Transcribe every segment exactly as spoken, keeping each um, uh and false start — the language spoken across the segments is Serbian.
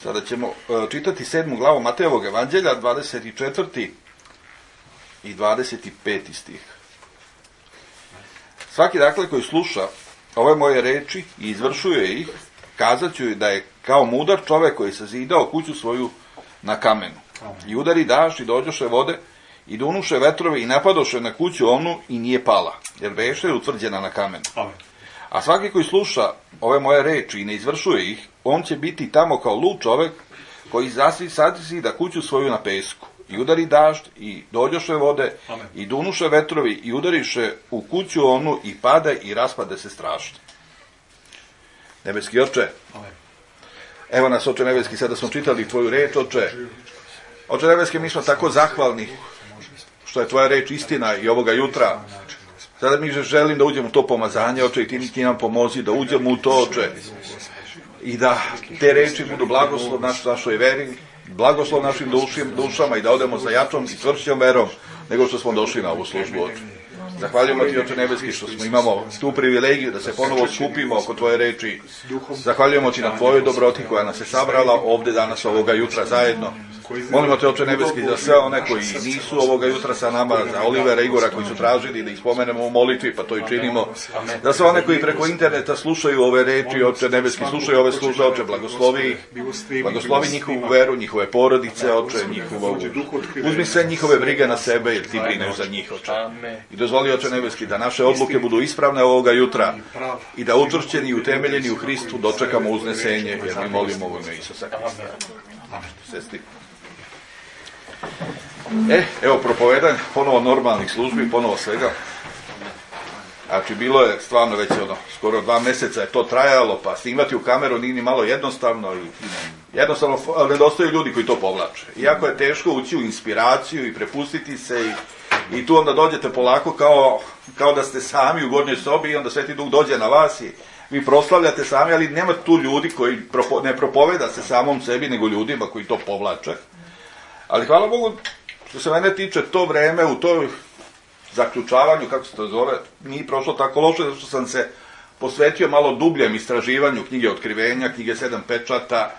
Sada ćemo čitati sedmu glavu Matejevog evanđelja, dvadeset četvrti i dvadeset peti stih. Svaki dakle koji sluša ove moje reči i izvršuje ih, kazat ću da je kao mudar čovek koji sazidao kuću svoju na kamenu. I udari dašč i dođoše vode i dunuše vetrove i napadoše na kuću onu i nije pala, jer beše utvrđena na kamenu. A svaki koji sluša ove moje reči i ne izvršuje ih, on će biti tamo kao lud čovek koji zasi sadisi da kuću svoju na pesku. I udari dažd i dođoše vode Amen. I dunuše vetrovi i udariše u kuću onu i pade i raspade se strašno. Nebeski Oče, Amen. Evo nas, Oče Nebeski, sada smo čitali tvoju reč, Oče. Oče Nebeski, mi smo tako zahvalni što je tvoja reč istina i ovoga jutra. Sada mi želim da uđemo u to pomazanje, Oče, i ti, ti nam pomozi da uđemo u to, Oče, i da te reči budu blagoslov naš, našoj veri, blagoslov našim dušim, dušama i da odemo za jačom i čvršćom verom nego što smo došli na ovu službu, Oče. Zahvaljujemo ti, Oče Nebeski, što smo imamo tu privilegiju da se ponovo skupimo oko tvoje reči. Zahvaljujemo ti na tvojoj dobroti koja nas je sabrala ovde danas ovoga jutra zajedno. Molimo te, Oče Nebeski, za sve one koji nisu ovoga jutra sa nama, za Olivera i Igora koji su tražili da ih spomenemo u molitvi, pa to i činimo. Za sve one koji preko interneta slušaju ove reči, Oče Nebeski, slušaju ove službe, Oče, blagoslovi ih, blagoslovi njihovu veru, njihove porodice, Oče, njihovu, uzmi sve njihove brige na sebe, jer ti brineš za njih, Oče. I dozvoli, Oče Nebeski, da naše odluke budu ispravne ovoga jutra i da učvršćeni i utemeljeni u Hristu dočekamo uznesenje, jer mi molimo u ime Isusa Hrista. Sestri. E, evo propovedanje, ponovo normalnih službi, ponovo svega. Znači, bilo je stvarno već ono, skoro dva meseca je to trajalo, pa snimati u kameru nije ni malo jednostavno i jednostavno nedostaju ljudi koji to povlače. Iako je teško ući u inspiraciju i prepustiti se i, i tu onda dođete polako kao, kao da ste sami u gornjoj sobi i onda Sveti Duh dođe na vas i vi proslavljate sami, ali nema tu ljudi koji propo, ne propoveda se samom sebi, nego ljudima koji to povlače. Ali hvala Bogu, što se mene tiče, to vreme u toj zaključavanju, kako se to zove, nije prošlo tako loše, zato što sam se posvetio malo dubljem istraživanju knjige Otkrivenja, knjige Sedam pečata,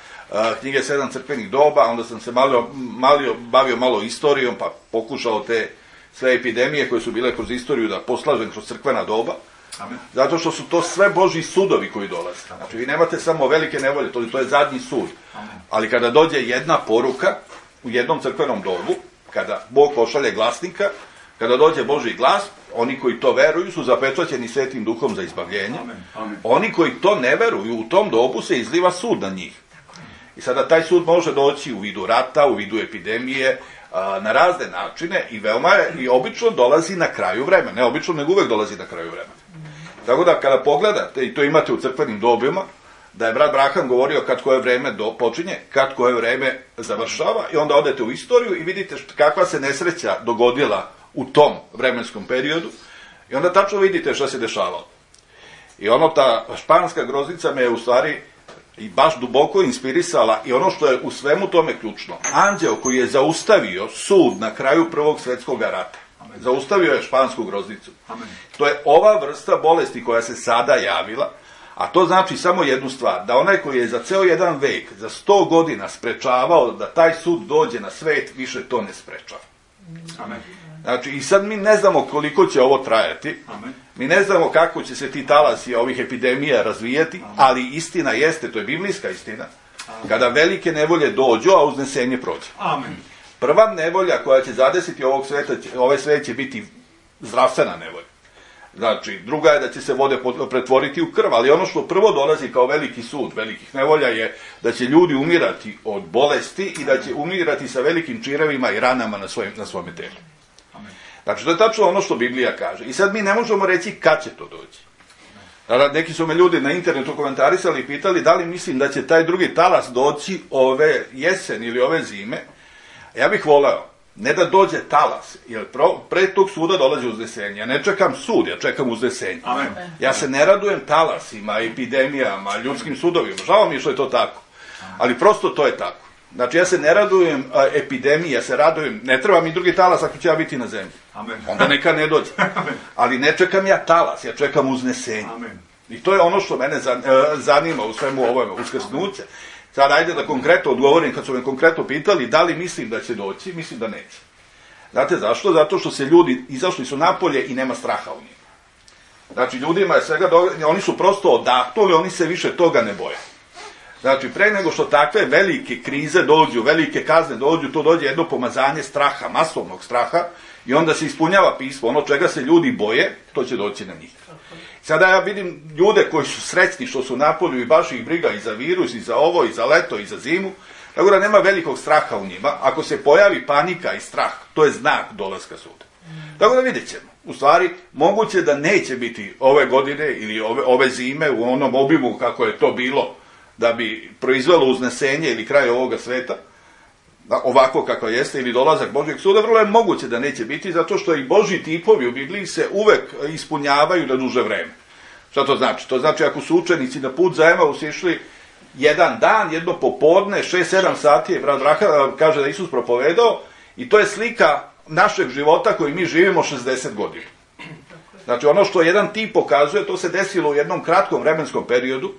knjige Sedam crkvenih doba, onda sam se malo, malo bavio malo istorijom, pa pokušao te sve epidemije koje su bile kroz istoriju da poslažem kroz crkvena doba. Amen. Zato što su to sve Božji sudovi koji dolaze. Znači, vi nemate samo velike nevolje, to, to je zadnji sud. Amen. Ali kada dođe jedna poruka u jednom crkvenom dobu, kada Bog pošalje glasnika, kada dođe Božji glas, oni koji to veruju su zapečaćeni Svetim Duhom za izbavljenje. Amen. Amen. Oni koji to ne veruju, u tom dobu se izliva sud na njih. I sada taj sud može doći u vidu rata, u vidu epidemije, na razne načine i veoma je, i obično dolazi na kraju vremena. Ne obično, nego uvek dolazi na kraju vremena. Tako da kada pogledate, i to imate u crkvenim dobima, da je brat Braham govorio kad koje vreme do, počinje, kad koje vreme završava i onda odete u istoriju i vidite kakva se nesreća dogodila u tom vremenskom periodu i onda tačno vidite šta se dešavalo. I ono, ta španska groznica me je u stvari i baš duboko inspirisala i ono što je u svemu tome ključno. Anđeo koji je zaustavio sud na kraju Prvog svjetskog rata, Amen. Zaustavio je špansku groznicu. Amen. To je ova vrsta bolesti koja se sada javila, a to znači samo jednu stvar, da onaj koji je za ceo jedan vek, za sto godina sprečavao da taj sud dođe na svet, više to ne sprečava. Amen. Znači, i sad mi ne znamo koliko će ovo trajati, Amen. Mi ne znamo kako će se ti talasi ovih epidemija razvijati, Amen. Ali istina jeste, to je biblijska istina, Amen. Kada velike nevolje dođu, a uznesenje prođe. Amen. Prva nevolja koja će zadesiti ovog sveta, ove svet će biti zdravstvena nevolja. Znači, druga je da će se vode pretvoriti u krv, ali ono što prvo dolazi kao veliki sud velikih nevolja je da će ljudi umirati od bolesti i da će umirati sa velikim čirevima i ranama na, svojim, na svome telu. Znači, to je tačno ono što Biblija kaže. I sad mi ne možemo reći kad će to doći. Neki su me ljudi na internetu komentarisali i pitali da li mislim da će taj drugi talas doći ove jesen ili ove zime. Ja bih voleo ne da dođe talas, jer pre tog suda dolazi uznesenje. Ja ne čekam sud, ja čekam uznesenje. Amen. Ja se ne radujem talasima, epidemijama, ljudskim sudovima. Žao mi je što je to tako. Ali prosto to je tako. Znači, ja se ne radujem a, epidemiji, ja se radujem, ne treba mi drugi talas ako će ja biti na zemlji. Amen. Onda neka ne dođe. Amen. Ali ne čekam ja talas, ja čekam uznesenje. Amen. I to je ono što mene zanima u svemu ovome, uskrsnuće. Sad ajde da konkretno odgovorim, kad su me konkretno pitali da li mislim da će doći, mislim da neće. Znate zašto? Zato što se ljudi izašli su napolje i nema straha u njima. Znači, ljudima je svega, do... oni su prosto odahnuli, oni se više toga ne boje. Znači, pre nego što takve velike krize dođu, velike kazne dođu, to dođe jedno pomazanje straha, masovnog straha, i onda se ispunjava pismo. Ono čega se ljudi boje, to će doći na njih. Sada ja vidim ljude koji su srećni što su napolju i baš ih briga i za virus, i za ovo, i za leto, i za zimu, tako da nema velikog straha u njima. Ako se pojavi panika i strah, to je znak dolaska suda. Tako da vidjet ćemo. U stvari, moguće da neće biti ove godine ili ove, ove zime u onom obimu kako je to bilo da bi proizvelo uznesenje ili kraj ovoga sveta, ovako kako jeste, ili dolazak Božjeg suda, vrlo je moguće da neće biti, zato što i Božji tipovi u Bibliji se uvek ispunjavaju na duže vreme. Šta to znači? To znači ako su učenici na put za Emaus išli jedan dan, jedno popodne, šest sedam sati je brat Raha kaže da Isus propovedao, i to je slika našeg života koji mi živimo šezdeset godina. Znači ono što jedan tip pokazuje, to se desilo u jednom kratkom vremenskom periodu,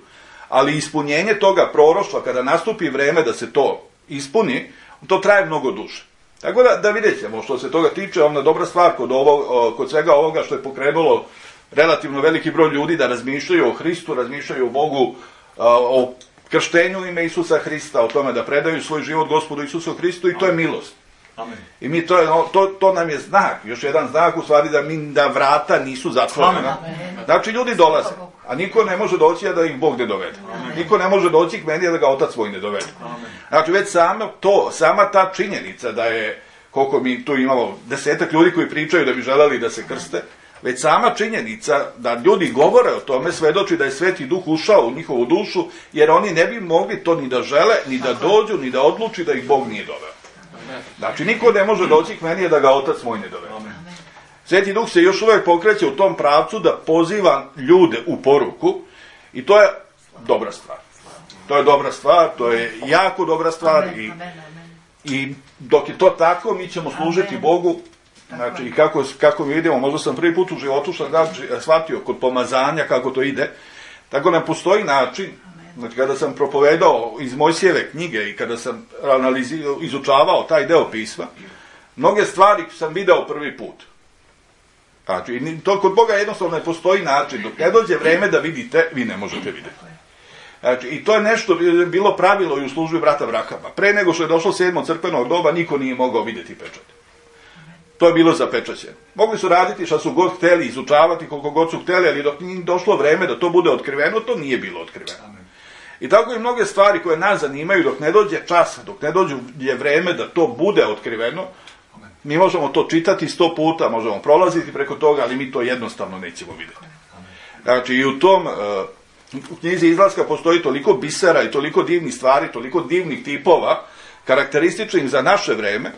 ali ispunjenje toga proroštva, kada nastupi vreme da se to ispuni, to traje mnogo duže. Tako da, da vidjet ćemo što se toga tiče, ona dobra stvar kod, ovo, kod svega ovoga što je pokrenulo relativno veliki broj ljudi da razmišljaju o Hristu, razmišljaju o Bogu, o krštenju ime Isusa Hrista, o tome da predaju svoj život Gospodu Isusu Hristu, i to je milost. Amen. I mi to, to, to nam je znak, još jedan znak u stvari da, mi, da vrata nisu zatvorena. Znači ljudi dolaze, a niko ne može doći a da ih Bog ne dovede. Amen. Niko ne može doći k meni a da ga Otac svoj ne dovede. Amen. Znači već sama to, sama ta činjenica da je, koliko mi tu imamo desetak ljudi koji pričaju da bi želeli da se krste, već sama činjenica da ljudi govore o tome svedoči da je Sveti Duh ušao u njihovu dušu, jer oni ne bi mogli to ni da žele, ni da dođu, ni da odluči da ih Bog nije doveo. Znači, niko ne može doći k meni da ga Otac moj ne dovede. Sveti Duh se još uvek pokreće u tom pravcu da poziva ljude u poruku, i to je dobra stvar. To je dobra stvar, to je jako dobra stvar, i, i dok je to tako, mi ćemo služiti Bogu. Znači, i kako, kako vidimo, možda sam prvi put u životu što znači, shvatio kod pomazanja kako to ide, tako nam postoji način. Znači, kada sam propovedao iz Mojsijeve knjige i kada sam analizirao, izučavao taj deo pisma, mnoge stvari sam video prvi put. Znači, to kod Boga jednostavno ne postoji način. Dok ne dođe vreme da vidite, vi ne možete vidjeti. Znači, i to je nešto bilo pravilo i u službi brata Brahama. Pre nego što je došlo sedmo crkvenog doba, niko nije mogao vidjeti pečat. To je bilo zapečaćeno. Mogli su raditi šta su god hteli, izučavati koliko god su hteli, ali dok nije došlo vreme da to bude otkriveno, to nije bilo otkriveno. I tako i mnoge stvari koje nas zanimaju, dok ne dođe čas, dok ne dođe je vreme da to bude otkriveno, mi možemo to čitati sto puta, možemo prolaziti preko toga, ali mi to jednostavno nećemo vidjeti. Znači, i u tom, u knjizi Izlaska postoji toliko bisera i toliko divnih stvari, toliko divnih tipova, karakterističnih za naše vreme,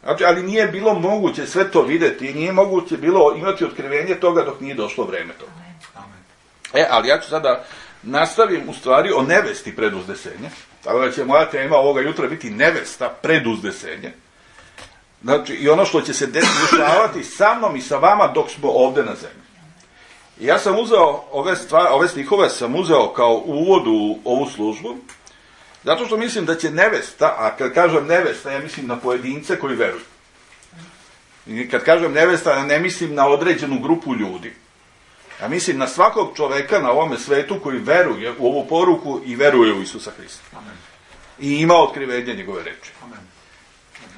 znači, ali nije bilo moguće sve to vidjeti i nije moguće bilo imati otkrivenje toga dok nije došlo vreme toga. E, ali ja ću sada nastavim u stvari o nevesti pred uznesenje, tako da će moja tema ovoga jutra biti nevesta pred uznesenje. Znači, i ono što će se dešavati sa mnom i sa vama dok smo ovde na zemlji. I ja sam uzeo ove, stvari, ove stihove sam uzeo kao uvod u ovu službu, zato što mislim da će nevesta, a kad kažem nevesta, ja mislim na pojedince koji veruju. I kad kažem nevesta, ne mislim na određenu grupu ljudi. Ja mislim na svakog čoveka na ovome svetu koji veruje u ovu poruku i veruje u Isusa Hrista. Amen. I ima otkrivenje njegove reči. Amen.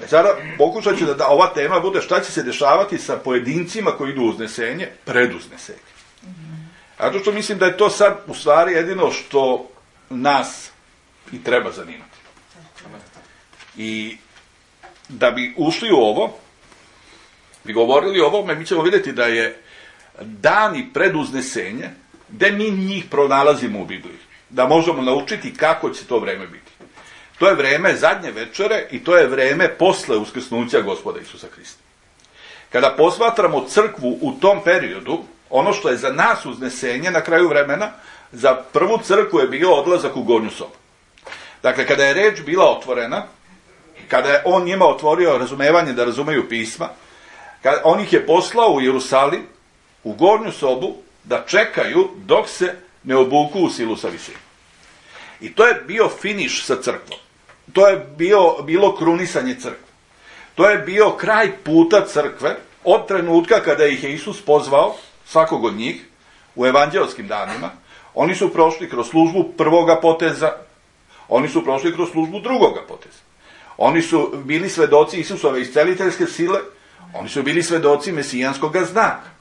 E sada pokušat ću da, da ova tema bude šta će se dešavati sa pojedincima koji idu u uznesenje, pred uznesenje. Amen. Zato što mislim da je to sad u stvari jedino što nas i treba zanimati. Amen. I da bi ušli u ovo, bi govorili o ovome, mi ćemo vidjeti da je dani pred uznesenje, gde mi njih pronalazimo u Bibliji, da možemo naučiti kako će to vreme biti. To je vreme zadnje večere i to je vreme posle uskrsnuća Gospoda Isusa Hrista. Kada posmatramo crkvu u tom periodu, ono što je za nas uznesenje na kraju vremena, za prvu crkvu je bio odlazak u gornju sobu. Dakle, kada je reč bila otvorena, kada je on njima otvorio razumevanje da razumeju pisma, kada on ih je poslao u Jerusalim, u gornju sobu, da čekaju dok se ne obuku u silu sa visine. I to je bio finiš sa crkvom. To je bio, bilo krunisanje crkve. To je bio kraj puta crkve od trenutka kada ih je Isus pozvao, svakog od njih, u evanđelskim danima. Oni su prošli kroz službu prvoga poteza, oni su prošli kroz službu drugoga poteza. Oni su bili svedoci Isusove isceliteljske sile, oni su bili svedoci mesijanskog znaka.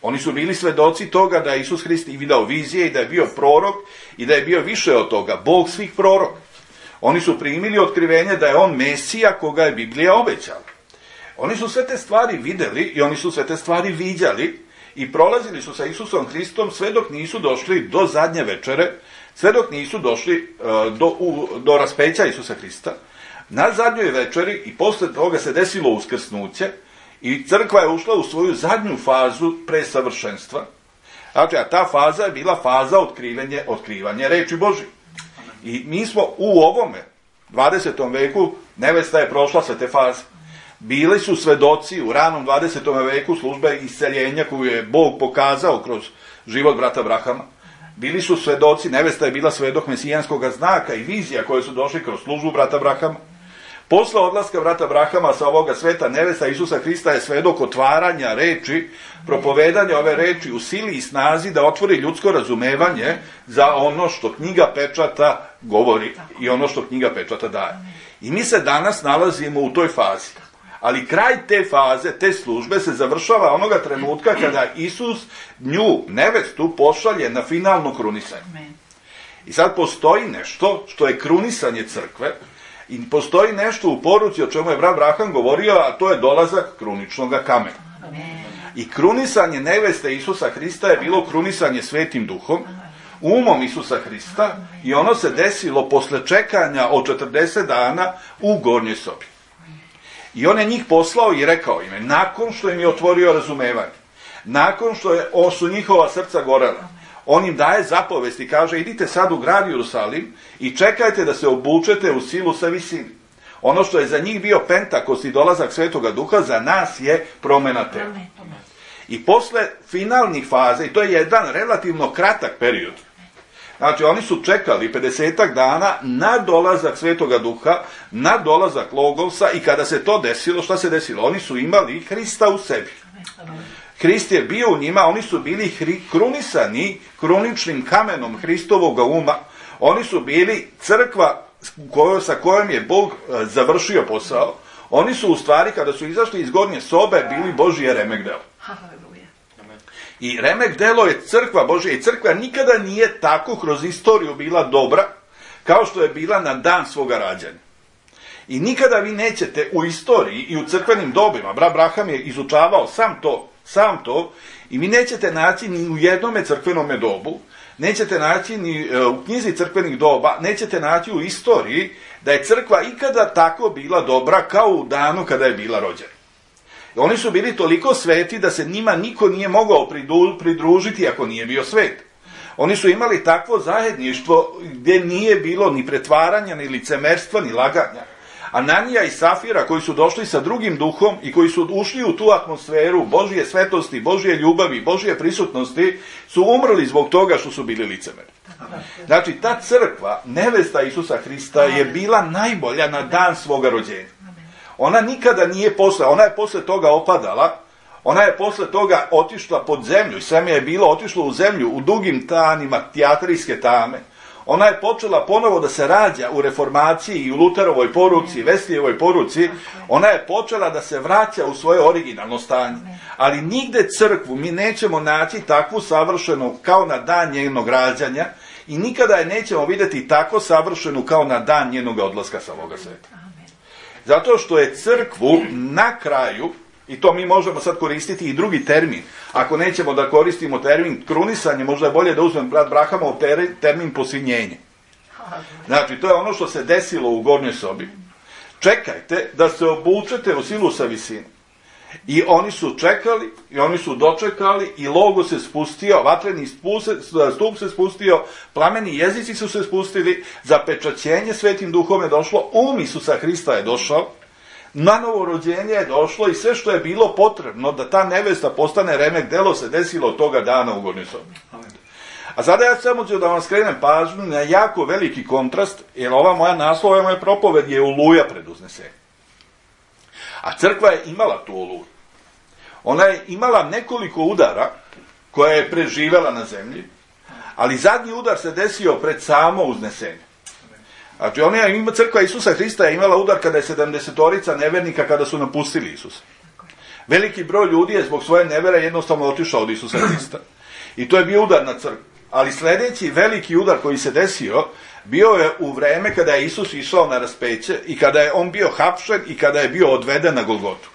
Oni su bili svedoci toga da je Isus Hrist i vidao vizije i da je bio prorok i da je bio više od toga, Bog svih proroka. Oni su primili otkrivenje da je on Mesija koga je Biblija obećala. Oni su sve te stvari videli i oni su sve te stvari viđali i prolazili su sa Isusom Hristom sve dok nisu došli do zadnje večere, sve dok nisu došli uh, do, u, do raspeća Isusa Hrista. Na zadnjoj večeri i posle toga se desilo uskrsnuće i crkva je ušla u svoju zadnju fazu presavršenstva. Znači, a ta faza je bila faza otkrivanja, otkrivanja reči Božje. I mi smo u ovome dvadesetom veku, nevesta je prošla sve te faze. Bili su svedoci u ranom dvadesetom veku službe isceljenja koju je Bog pokazao kroz život brata Abrahama. Bili su svedoci, nevesta je bila svedok mesijanskog znaka i vizija koje su došli kroz službu brata Abrahama. Posle odlaska brata Abrahama sa ovoga sveta, nevesta Isusa Hrista je svedok otvaranja reči, propovedanja ove reči u sili i snazi da otvori ljudsko razumevanje za ono što knjiga pečata govori i ono što knjiga pečata daje. I mi se danas nalazimo u toj fazi. Ali kraj te faze, te službe se završava onoga trenutka kada Isus nju, nevestu, pošalje na finalno krunisanje. I sad postoji nešto što je krunisanje crkve i postoji nešto u poruci o čemu je brat Abraham govorio, a to je dolazak kruničnog kamena. I krunisanje neveste Isusa Hrista je bilo krunisanje Svetim Duhom, umom Isusa Hrista i ono se desilo posle čekanja od četrdeset dana u gornjoj sobi. I on je njih poslao i rekao im, nakon što im je otvorio razumevanje, nakon što je, o, su njihova srca gorela, on im daje zapovest i kaže, idite sad u grad Jerusalim i čekajte da se obučete u silu sa visini. Ono što je za njih bio Pentakost i dolazak Svetoga Duha, za nas je promena tela. I posle finalnih faza, i to je jedan relativno kratak period, znači oni su čekali pedesetak dana na dolazak Svetoga Duha, na dolazak Logosa i kada se to desilo, šta se desilo? Oni su imali Hrista u sebi. Hrist je bio u njima, oni su bili hri, krunisani kruničnim kamenom Hristovog uma, oni su bili crkva kojo, sa kojom je Bog e, završio posao, oni su u stvari kada su izašli iz gornje sobe bili Božje remek delo. I remek delo je crkva Božja i crkva nikada nije tako kroz istoriju bila dobra kao što je bila na dan svoga rađanja. I nikada vi nećete u istoriji i u crkvenim dobima, brat Abraham je izučavao sam to, sam to, i vi nećete naći ni u jednome crkvenome dobu, nećete naći ni u knjizi crkvenih doba, nećete naći u istoriji da je crkva ikada tako bila dobra kao u danu kada je bila rođena. Oni su bili toliko sveti da se njima niko nije mogao pridružiti ako nije bio svet. Oni su imali takvo zajedništvo gdje nije bilo ni pretvaranja, ni licemerstva, ni laganja. Ananija i Safira koji su došli sa drugim duhom i koji su ušli u tu atmosferu Božje svetosti, Božje ljubavi, Božje prisutnosti, su umrli zbog toga što su bili licemeri. Znači, ta crkva, nevesta Isusa Hrista, je bila najbolja na dan svoga rođenja. Ona nikada nije posle, ona je posle toga opadala, ona je posle toga otišla pod zemlju, seme je bilo otišlo u zemlju u dugim tanima tijatrijske tame. Ona je počela ponovo da se rađa u reformaciji i u Luterovoj poruci, Veslijevoj poruci, ona je počela da se vraća u svoje originalno stanje. Ali nigde crkvu mi nećemo naći takvu savršenu kao na dan njenog rađanja i nikada je nećemo vidjeti tako savršenu kao na dan njenog odlaska sa ovoga sveta. Zato što je crkvu na kraju, i to mi možemo sad koristiti i drugi termin, ako nećemo da koristimo termin krunisanje, možda je bolje da uzmem brat Abrahamov termin posinjenje. Znači, to je ono što se desilo u gornjoj sobi. Čekajte da se obučete u silu sa visine. I oni su čekali, i oni su dočekali, i logo se spustio, vatreni stup se spustio, plameni jezici su se spustili, zapečaćenje Svetim Duhom je došlo, um Isusa Hrista je došao, na novorođenje je došlo i sve što je bilo potrebno da ta nevesta postane remek delo se desilo od toga dana u gornjoj sobi. A sada ja samo ću da vam skrenem pažnju na jako veliki kontrast, jer ova moja naslova, moja propoved je Oluja pred uznesenjem. A crkva je imala tu Oluju. Ona je imala nekoliko udara koja je preživela na zemlji, ali zadnji udar se desio pred samo uznesenje. Znači, ona je, ima, crkva Isusa Hrista je imala udar kada je sedamdesetorica nevernika kada su napustili Isusa. Veliki broj ljudi je zbog svoje nevere jednostavno otišao od Isusa Hrista. I to je bio udar na crkvu. Ali sljedeći veliki udar koji se desio bio je u vreme kada je Isus išao na raspeće i kada je on bio hapšen i kada je bio odveden na Golgotu.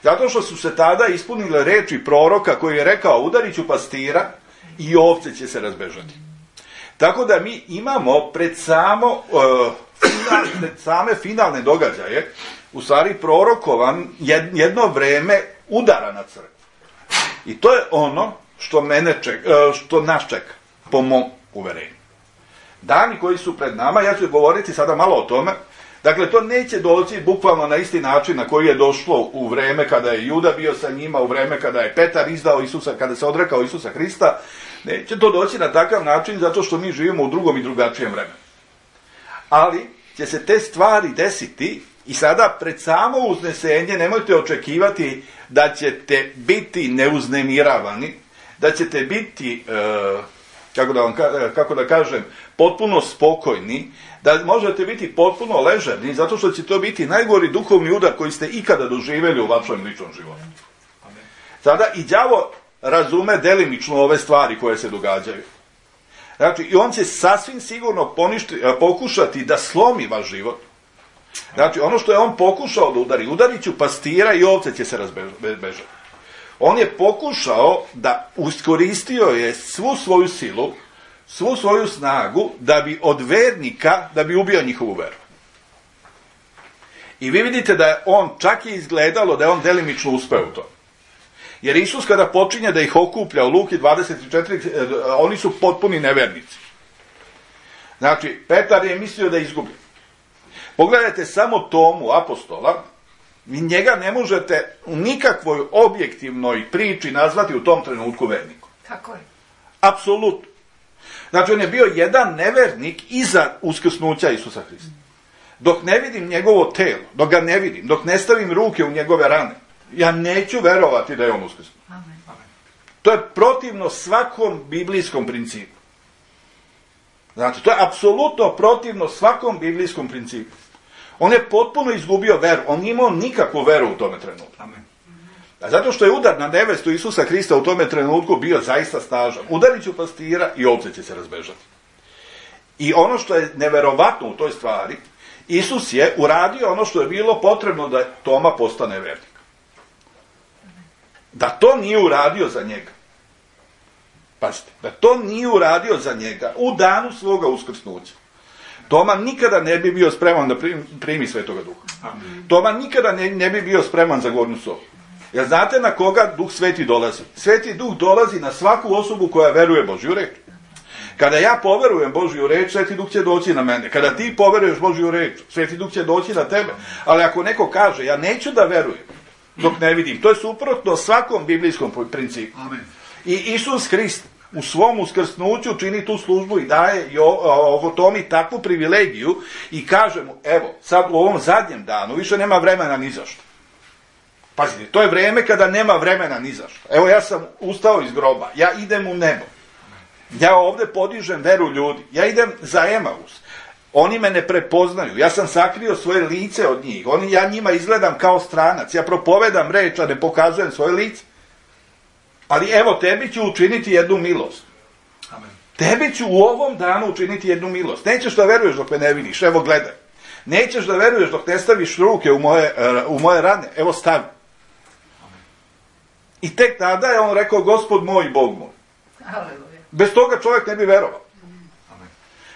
Zato što su se tada ispunile reči proroka koji je rekao: udarit ću pastira i ovce će se razbežati. Tako da mi imamo pred, samo, uh, final, pred same finalne događaje u stvari prorokovan jedno vreme udara na crkvu. I to je ono što, mene čeka, uh, što nas čeka, po mom uverenju. Dani koji su pred nama, ja ću govoriti sada malo o tome. Dakle, to neće doći bukvalno na isti način na koji je došlo u vreme kada je Juda bio sa njima, u vreme kada je Petar izdao Isusa, kada se odrekao Isusa Hrista. Neće to doći na takav način zato što mi živimo u drugom i drugačijem vremenu. Ali će se te stvari desiti i sada pred samo uznesenje nemojte očekivati da ćete biti neuznemiravani, da ćete biti, e, kako, da vam, kako da kažem, potpuno spokojni, da možete biti potpuno ležerni, zato što će to biti najgori duhovni udar koji ste ikada doživjeli u vašem ličnom životu. Sada i đavo razume delimično ove stvari koje se događaju. Znači, i on će sasvim sigurno poništi, pokušati da slomi vaš život. Znači, ono što je on pokušao da udari, udarit ću pastira i ovce će se razbežati. On je pokušao da iskoristio je svu svoju silu, svu svoju snagu da bi od vernika, da bi ubio njihovu veru. I vi vidite da je on, čak je izgledalo da je on delimično uspeo u to. Jer Isus kada počinje da ih okuplja u Luki dvadeset četiri, oni su potpuni nevernici. Znači, Petar je mislio da je izgubljen. Pogledajte samo Tomu, apostola, vi njega ne možete u nikakvoj objektivnoj priči nazvati u tom trenutku vernikom. Tako je. Apsolutno. Znači, on je bio jedan nevernik iza uskrsnuća Isusa Hrista. Dok ne vidim njegovo telo, dok ga ne vidim, dok ne stavim ruke u njegove rane, ja neću verovati da je on uskrsnuo. Amen. To je protivno svakom biblijskom principu. Znači, to je apsolutno protivno svakom biblijskom principu. On je potpuno izgubio veru. On nije imao nikakvu veru u tome trenutku. Amen. A zato što je udar na nevestu Isusa Hrista u tome trenutku bio zaista snažan. Udarit ću pastira i ovce će se razbežati. I ono što je neverovatno u toj stvari, Isus je uradio ono što je bilo potrebno da Toma postane vernik. Da to nije uradio za njega. Pazite, da to nije uradio za njega u danu svoga uskrsnuća. Toma nikada ne bi bio spreman da primi, primi Svetoga Duha. Amen. Toma nikada ne, ne bi bio spreman za gornju sobu. Jer znate na koga Duh Sveti dolazi? Sveti Duh dolazi na svaku osobu koja veruje Božju reč. Kada ja poverujem Božju reč, Sveti Duh će doći na mene. Kada ti poveruješ Božju reč, Sveti Duh će doći na tebe. Ali ako neko kaže, ja neću da verujem dok ne vidim, to je suprotno svakom biblijskom principu. Amen. I Isus Hrist u svom uskrsnuću čini tu službu i daje ovo Tomi takvu privilegiju i kaže mu, evo, sad u ovom zadnjem danu više nema vremena ni za što. Pazite, to je vreme kada nema vremena ni za što. Evo, ja sam ustao iz groba, ja idem u nebo. Ja ovde podižem veru ljudi, ja idem za Emaus. Oni me ne prepoznaju, ja sam sakrio svoje lice od njih, oni, ja njima izgledam kao stranac, ja propovedam reč, a ne pokazujem svoje lice. Ali evo, tebi ću učiniti jednu milost. Amen. Tebi ću u ovom danu učiniti jednu milost. Nećeš da veruješ dok me ne vidiš, evo gledaj. Nećeš da veruješ dok ne staviš ruke u moje, u moje rane, evo stavi. Amen. I tek tada je on rekao, Gospod moj, Bog moj. Aleluja. Bez toga čovjek ne bi verovao. Amen.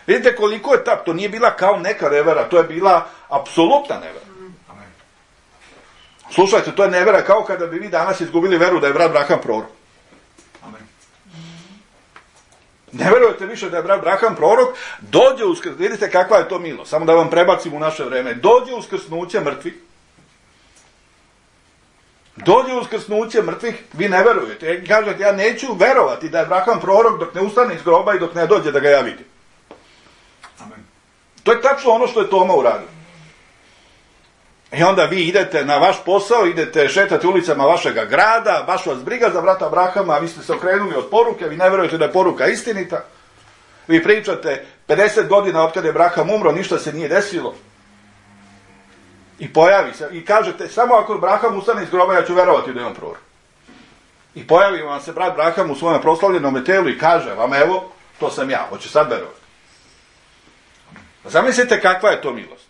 Vidite koliko je ta, to nije bila kao neka nevera, to je bila apsolutna nevera. Amen. Slušajte, to je nevera kao kada bi vi danas izgubili veru da je brat Braham prorok. Ne verujete više da je brat Braham prorok, dođe uskrsnuće, vidite kakva je to milost, samo da vam prebacim u naše vreme, dođe uskrsnuće mrtvi, Dođe uskrsnuće mrtvih, vi ne verujete. I kažete, ja neću verovati da je Abraham prorok dok ne ustane iz groba i dok ne dođe da ga ja vidim. Amen. To je tačno ono što je Toma uradio. I onda vi idete na vaš posao, idete šetati ulicama vašega grada, baš vas briga za brata Abrahama, a vi ste se okrenuli od poruke, vi ne verujete da je poruka istinita. Vi pričate pedeset godina od kada je Abraham umro, ništa se nije desilo. I pojavi se, i kažete, samo ako Abraham ustane iz groba, ja ću verovati da je on prorok. I pojavi vam se brat Abraham u svojem proslavljenom telu i kaže vam, evo, to sam ja, hoće sad verovati. Zamislite kakva je to milost.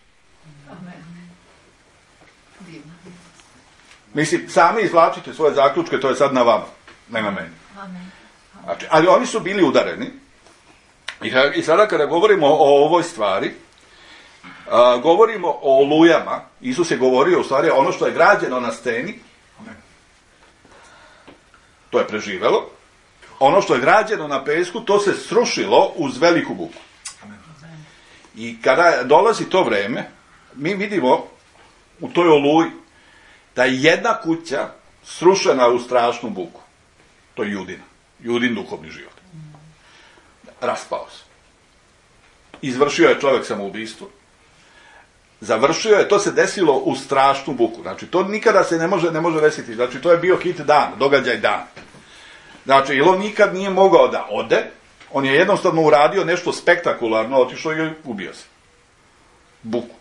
Mislim, sami izvlačite svoje zaključke, to je sad na vama, ne na meni. Znači, ali oni su bili udareni. I sada kada govorimo o ovoj stvari, a, govorimo o olujama. Isus je govorio u stvari ono što je građeno na steni, to je preživelo. Ono što je građeno na pesku, to se srušilo uz veliku buku. I kada dolazi to vreme, mi vidimo u toj oluji da je jedna kuća srušena u strašnu buku. To je Judina. Judin duhovni život. Raspao se. Izvršio je čovjek samoubistvo. Završio je, to se desilo u strašnu buku. Znači, to nikada se ne može, ne može desiti. Znači, to je bio hit dan, događaj dan. Znači, jer on nikad nije mogao da ode, on je jednostavno uradio nešto spektakularno, otišao i ubio se. Buku.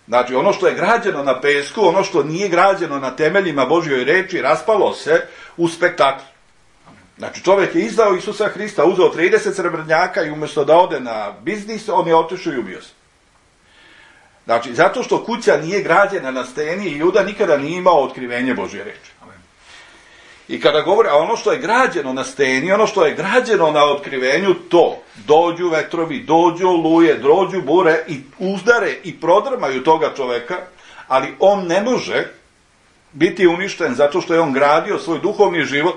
Znači, ono što je građeno na pesku, ono što nije građeno na temeljima Božjoj reči, raspalo se u spektaklu. Znači, čovjek je izdao Isusa Hrista, uzeo trideset srebrnjaka i umjesto da ode na biznis, on je otišao i ubio se. Znači, zato što kuća nije građena na steni i Juda nikada nije imao otkrivenje Božje reči. I kada govori, a ono što je građeno na steni, ono što je građeno na otkrivenju, to, dođu vetrovi, dođu oluje, dođu bure i uzdare i prodrmaju toga čoveka, ali on ne može biti uništen zato što je on gradio svoj duhovni život,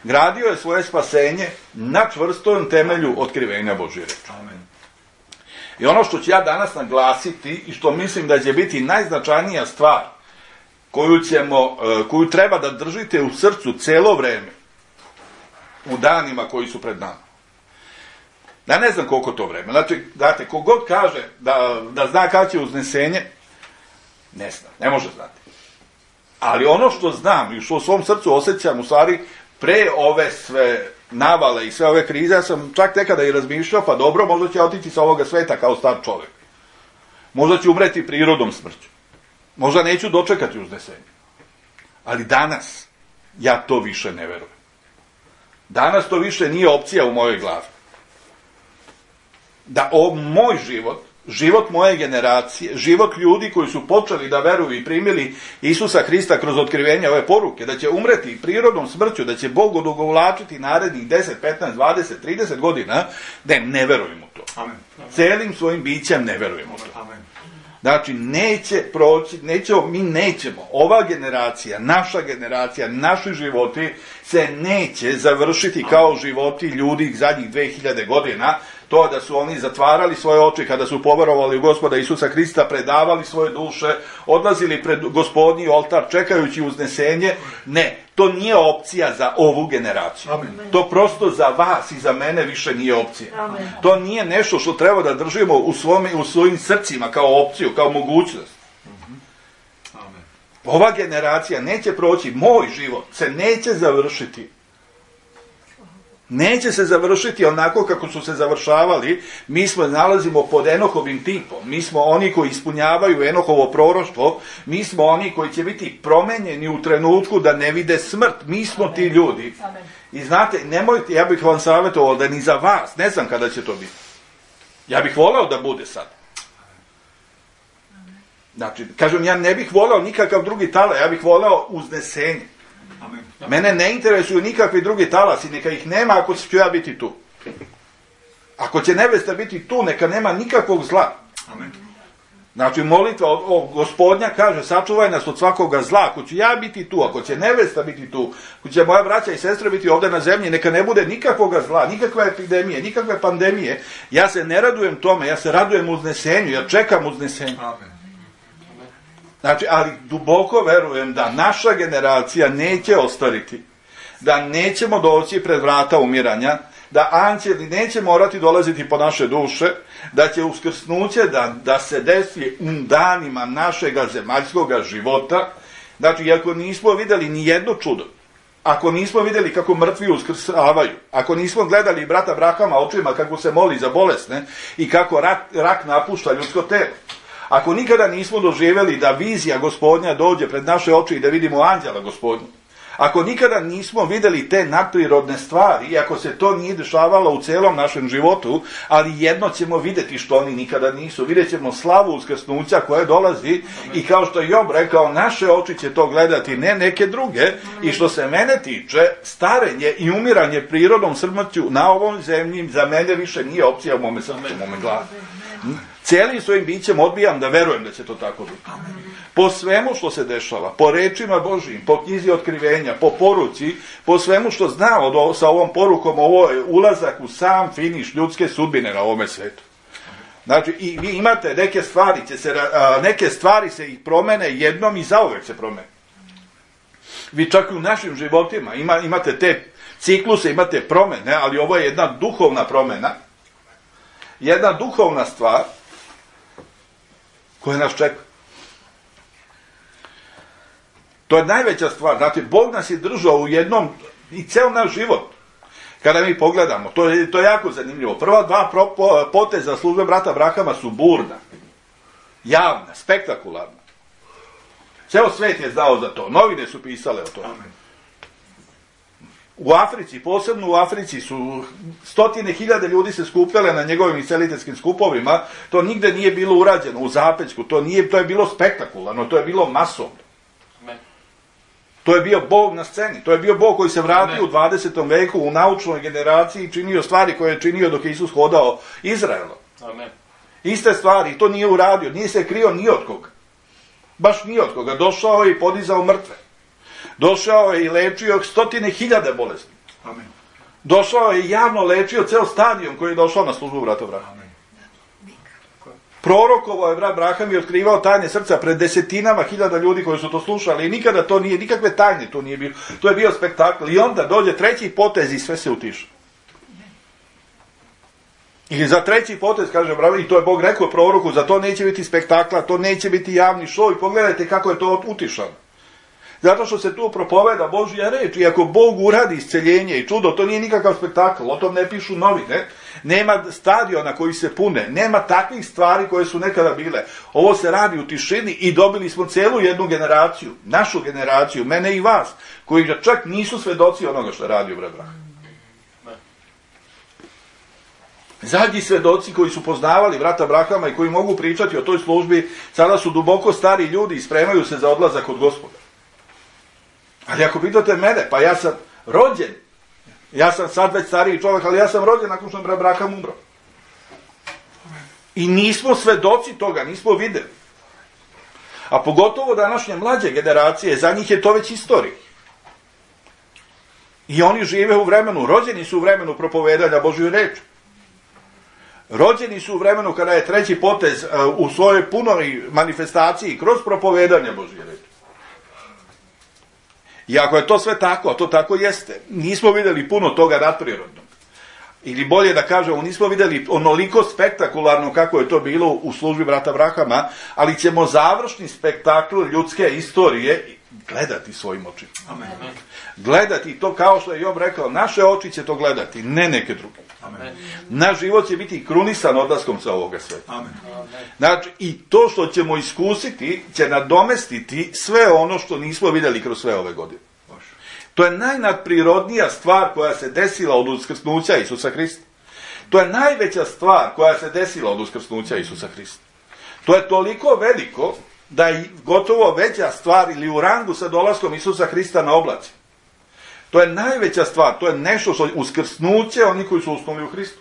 gradio je svoje spasenje na čvrstom temelju otkrivenja Božje reči. Amen. I ono što ću ja danas naglasiti i što mislim da će biti najznačajnija stvar koju ćemo, koju treba da držite u srcu celo vreme u danima koji su pred nama. Ja ne znam koliko to vreme. Znači, date, kogod kaže da, da zna kada će uznesenje, ne zna, ne može znati. Ali ono što znam i što u svom srcu osjećam, u stvari, pre ove sve navale i sve ove krize, ja sam čak nekada i razmišljao, pa dobro, možda će otići sa ovoga sveta kao star čovjek. Možda će umreti prirodom smrću. Možda neću dočekati uznesenje. Ali danas ja to više ne verujem. Danas to više nije opcija u mojoj glavi. Da o moj život, život moje generacije, život ljudi koji su počeli da veruju i primili Isusa Hrista kroz otkrivenje ove poruke, da će umreti prirodnom smrću, da će Bog odugovlačiti narednih deset, petnaest, dvadeset, trideset godina, da ne verujem u to. Amen. Celim svojim bićem ne verujem u to. Amen. Znači, neće proći, nećemo, mi nećemo, ova generacija, naša generacija, naši životi se neće završiti kao životi ljudi zadnjih dve hiljade godina, to da su oni zatvarali svoje oči kada su poverovali u Gospoda Isusa Hrista, predavali svoje duše, odlazili pred Gospodnji oltar čekajući uznesenje. Ne, to nije opcija za ovu generaciju. Amen. To prosto za vas i za mene više nije opcija. Amen. To nije nešto što treba da držimo u, svome, u svojim srcima kao opciju, kao mogućnost. Amen. Ova generacija neće proći, moj život se neće završiti. Neće se završiti onako kako su se završavali. Mi smo nalazimo pod Enohovim tipom. Mi smo oni koji ispunjavaju Enohovo proroštvo. Mi smo oni koji će biti promenjeni u trenutku da ne vide smrt. Mi smo ti ljudi. I znate, nemojte, ja bih vam savjetovao da ni za vas, ne znam kada će to biti. Ja bih voleo da bude sad. Znači, kažem, ja ne bih voleo nikakav drugi tala, ja bih voleo uznesenje. Amen. Mene ne interesuju nikakvi drugi talasi, neka ih nema ako ću ja biti tu. Ako će nevesta biti tu, neka nema nikakvog zla. Amen. Znači, molitva o, o Gospodnja kaže, sačuvaj nas od svakoga zla. Ako ću ja biti tu, ako će nevesta biti tu, ako će moja braća i sestre biti ovdje na zemlji, neka ne bude nikakvoga zla, nikakve epidemije, nikakve pandemije. Ja se ne radujem tome, ja se radujem uznesenju, ja čekam uznesenju. Amen. Znači, ali duboko verujem da naša generacija neće ostariti, da nećemo doći pred vrata umiranja, da anđeli neće morati dolaziti po naše duše, da će uskrsnuće da, da se desi u danima našega zemaljskog života. Znači, iako nismo vidjeli ni jedno čudo, ako nismo vidjeli kako mrtvi uskrsavaju, ako nismo gledali brata Abrahama očima kako se moli za bolesne i kako rak, rak napušta ljudsko telo, ako nikada nismo doživjeli da vizija Gospodnja dođe pred naše oči i da vidimo anđela Gospodnja, ako nikada nismo vidjeli te nadprirodne stvari i ako se to nije dešavalo u celom našem životu, ali jedno ćemo vidjeti što oni nikada nisu. Vidjet ćemo slavu uskrsnuća koja dolazi i kao što je Job rekao, naše oči će to gledati, ne neke druge. I što se mene tiče, starenje i umiranje prirodnom smrću na ovom zemlji za mene više nije opcija u mome srcu, u mome glavi. Cijelim svojim bićem odbijam da verujem da će to tako biti. Po svemu što se dešava, po rečima Božijim, po knjizi otkrivenja, po poruci, po svemu što zna od, sa ovom porukom, ovo je ulazak u sam finiš ljudske sudbine na ovome svetu. Znači, i vi imate neke stvari, će se, neke stvari se i promene jednom i zauvek se promene. Vi čak i u našim životima ima, imate te cikluse, imate promene, ali ovo je jedna duhovna promena, jedna duhovna stvar koja nas čeka. To je najveća stvar. Znate, Bog nas je držao u jednom, i ceo naš život, kada mi pogledamo, to je, to je jako zanimljivo. Prva dva pro, po, poteza službe brata Abrahama su burna, javna, spektakularna. Ceo svet je znao za to, novine su pisale o tome. U Africi, posebno u Africi, su stotine hiljade ljudi se skupljale na njegovim isceliteljskim skupovima. To nigde nije bilo urađeno u zapećku, to, nije, to je bilo spektakularno, to je bilo masovno. To je bio Bog na sceni, to je bio Bog koji se vratio Amen. U dvadesetom veku u naučnoj generaciji i činio stvari koje je činio dok je Isus hodao Izraelom. Amen. Iste stvari, to nije uradio, nije se krio ni od koga. Baš ni od koga. Došao je i podizao mrtve. Došao je i lečio stotine hiljade bolesti. Amen. Došao je i javno lečio ceo stadion koji je došao na službu brata Abrahama. Prorokovo je brat Abraham i otkrivao tajne srca pred desetinama hiljada ljudi koji su to slušali i nikada to nije, nikakve tajne to nije bilo. To je bio spektakl i onda dođe treći potez i sve se utiša. I za treći potez, kaže Abraham, i to je Bog rekao proroku, za to neće biti spektakla, to neće biti javni šou i pogledajte kako je to utišano. Zato što se tu propoveda Božja reč i ako Bog uradi isceljenje i čudo, to nije nikakav spektakl, o tom ne pišu novine, nema stadiona koji se pune, nema takvih stvari koje su nekada bile. Ovo se radi u tišini i dobili smo celu jednu generaciju, našu generaciju, mene i vas, koji čak nisu svedoci onoga što radi u brat Abraham. Zadnji svedoci koji su poznavali brata Abrahama i koji mogu pričati o toj službi, sada su duboko stari ljudi i spremaju se za odlazak od Gospoda. Ali ako pitate mene, pa ja sam rođen, ja sam sad već stariji čovjek, ali ja sam rođen nakon što je brat Abraham umro. I nismo svedoci toga, nismo videli. A pogotovo današnje mlađe generacije, za njih je to već istorija. I oni žive u vremenu, rođeni su u vremenu propovedanja Božju reči. Rođeni su u vremenu kada je treći potez u svojoj punoj manifestaciji kroz propovedanje Božje reči. I ako je to sve tako, a to tako jeste, nismo vidjeli puno toga nadprirodnog. Ili bolje da kažemo, nismo vidjeli onoliko spektakularno kako je to bilo u službi brata Abrahama, ali ćemo završni spektakl ljudske istorije gledati svojim očima. Amen. Gledati to kao što je Job rekao, naše oči će to gledati, ne neke druge. Amen. Naš život će biti krunisan odlaskom sa ovoga sveta. Amen. Znači, i to što ćemo iskusiti će nadomestiti sve ono što nismo vidjeli kroz sve ove godine. To je najnadprirodnija stvar koja se desila od uskrsnuća Isusa Hrista. To je najveća stvar koja se desila od uskrsnuća Isusa Hrista. To je toliko veliko da je gotovo veća stvar ili u rangu sa dolaskom Isusa Hrista na oblaci. To je najveća stvar, to je nešto što uskrsnuće oni koji su usnuli u Hristu.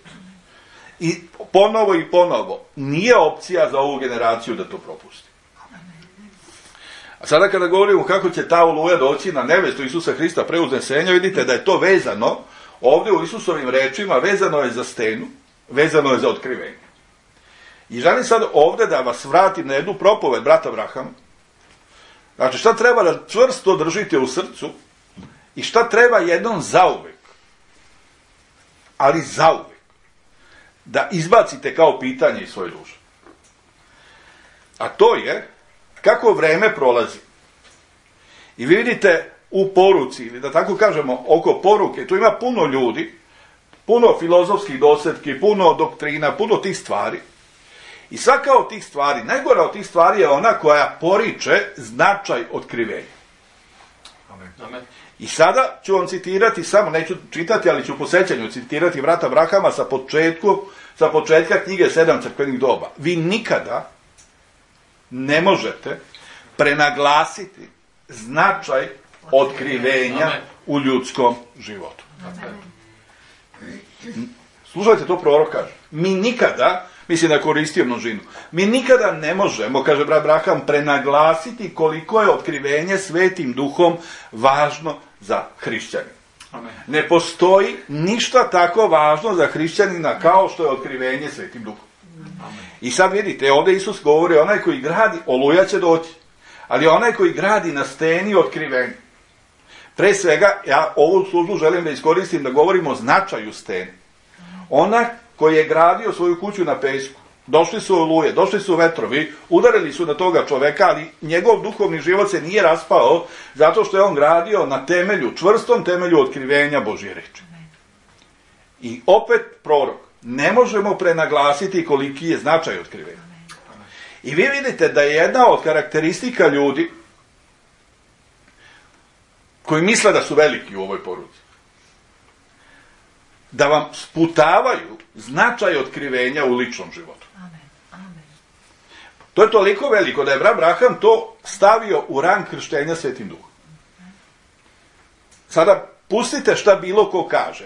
I ponovo i ponovo, nije opcija za ovu generaciju da to propusti. A sada kada govorimo kako će ta oluja doći na nevestu Isusa Hrista pre uznesenja, vidite da je to vezano, ovdje u Isusovim rečima, vezano je za stenu, vezano je za otkrivenje. I želim sad ovdje da vas vratim na jednu propoved brata Abrahama, Znači, šta treba da čvrsto držite u srcu i šta treba jednom zauvek, ali zauvek, da izbacite kao pitanje iz svoje duše. A to je kako vreme prolazi. I vi vidite u poruci, ili da tako kažemo, oko poruke, tu ima puno ljudi, puno filozofskih dosjetki, puno doktrina, puno tih stvari. I svaka od tih stvari, najgora od tih stvari je ona koja poriče značaj otkrivenja. Amen. I sada ću vam citirati, samo neću čitati, ali ću po sećanju citirati brata Brahama sa, početku, sa početka knjige Sedam crkvenih doba. Vi nikada ne možete prenaglasiti značaj otkrivenja Amen. U ljudskom životu. Amen. Slušajte, to prorok kaže. Mi nikada, mislim da koristio množinu, mi nikada ne možemo, kaže brat Braham, prenaglasiti koliko je otkrivenje Svetim Duhom važno za hrišćanina. Amen. Ne postoji ništa tako važno za hrišćanina kao što je otkrivenje Svetim Duhom. Amen. I sad vidite, ovdje Isus govori, onaj koji gradi, oluja će doći, ali onaj koji gradi na steni otkrivenja. Pre svega, ja ovu službu želim da iskoristim da govorimo o značaju stene. Ona koji je gradio svoju kuću na pesku, došli su oluje, došli su vetrovi, udarili su na toga čoveka, ali njegov duhovni život se nije raspao zato što je on gradio na temelju, čvrstom temelju otkrivenja Božje reči. I opet prorok, ne možemo prenaglasiti koliki je značaj otkrivenja. I vi vidite da je jedna od karakteristika ljudi koji misle da su veliki u ovoj poruci, da vam sputavaju značaj otkrivenja u ličnom životu. Amen. Amen. To je toliko veliko da je brat Braham to stavio u rang krštenja Svetim Duhom. Sada pustite šta bilo ko kaže,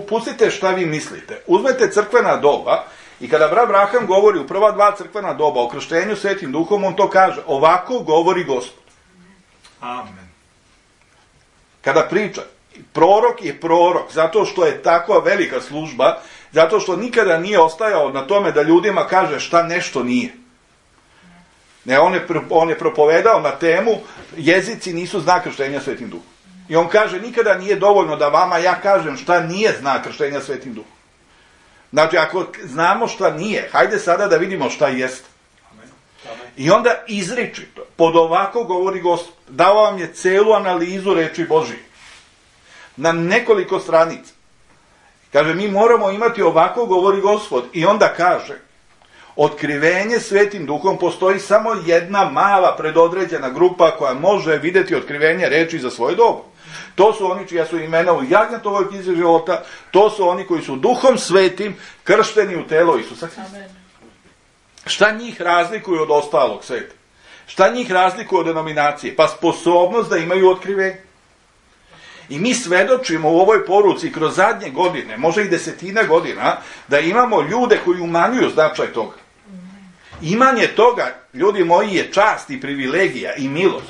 pustite šta vi mislite, uzmete crkvena doba i kada brat Braham govori u prva dva crkvena doba o krštenju Svetim Duhom, on to kaže, ovako govori Gospod. Amen. Kada priča, prorok je prorok, zato što je takva velika služba, zato što nikada nije ostajao na tome da ljudima kaže šta nešto nije. Ne, on je, on je propovedao na temu, jezici nisu znak krštenja Svetim Duhom. I on kaže, nikada nije dovoljno da vama ja kažem šta nije znak krštenja Svetim Duhom. Znači, ako znamo šta nije, hajde sada da vidimo šta jeste. I onda izričito, pod ovako govori Gospod, dao vam je celu analizu reči Božije. Na nekoliko stranica. Kaže, mi moramo imati ovako govori Gospod. I onda kaže, otkrivenje Svetim Duhom postoji samo jedna mala predodređena grupa koja može vidjeti otkrivenje reči za svoje dobu. To su oni čija su imena u Jagnjetovoj knjizi života, to su oni koji su Duhom Svetim kršteni u telo Isusa Hrista. Šta njih razlikuje od ostalog sveta? Šta njih razlikuje od denominacije? Pa sposobnost da imaju otkrivenje. I mi svedočimo u ovoj poruci kroz zadnje godine, može i desetine godina, da imamo ljude koji umanjuju značaj toga. Imanje toga, ljudi moji, je čast i privilegija i milost.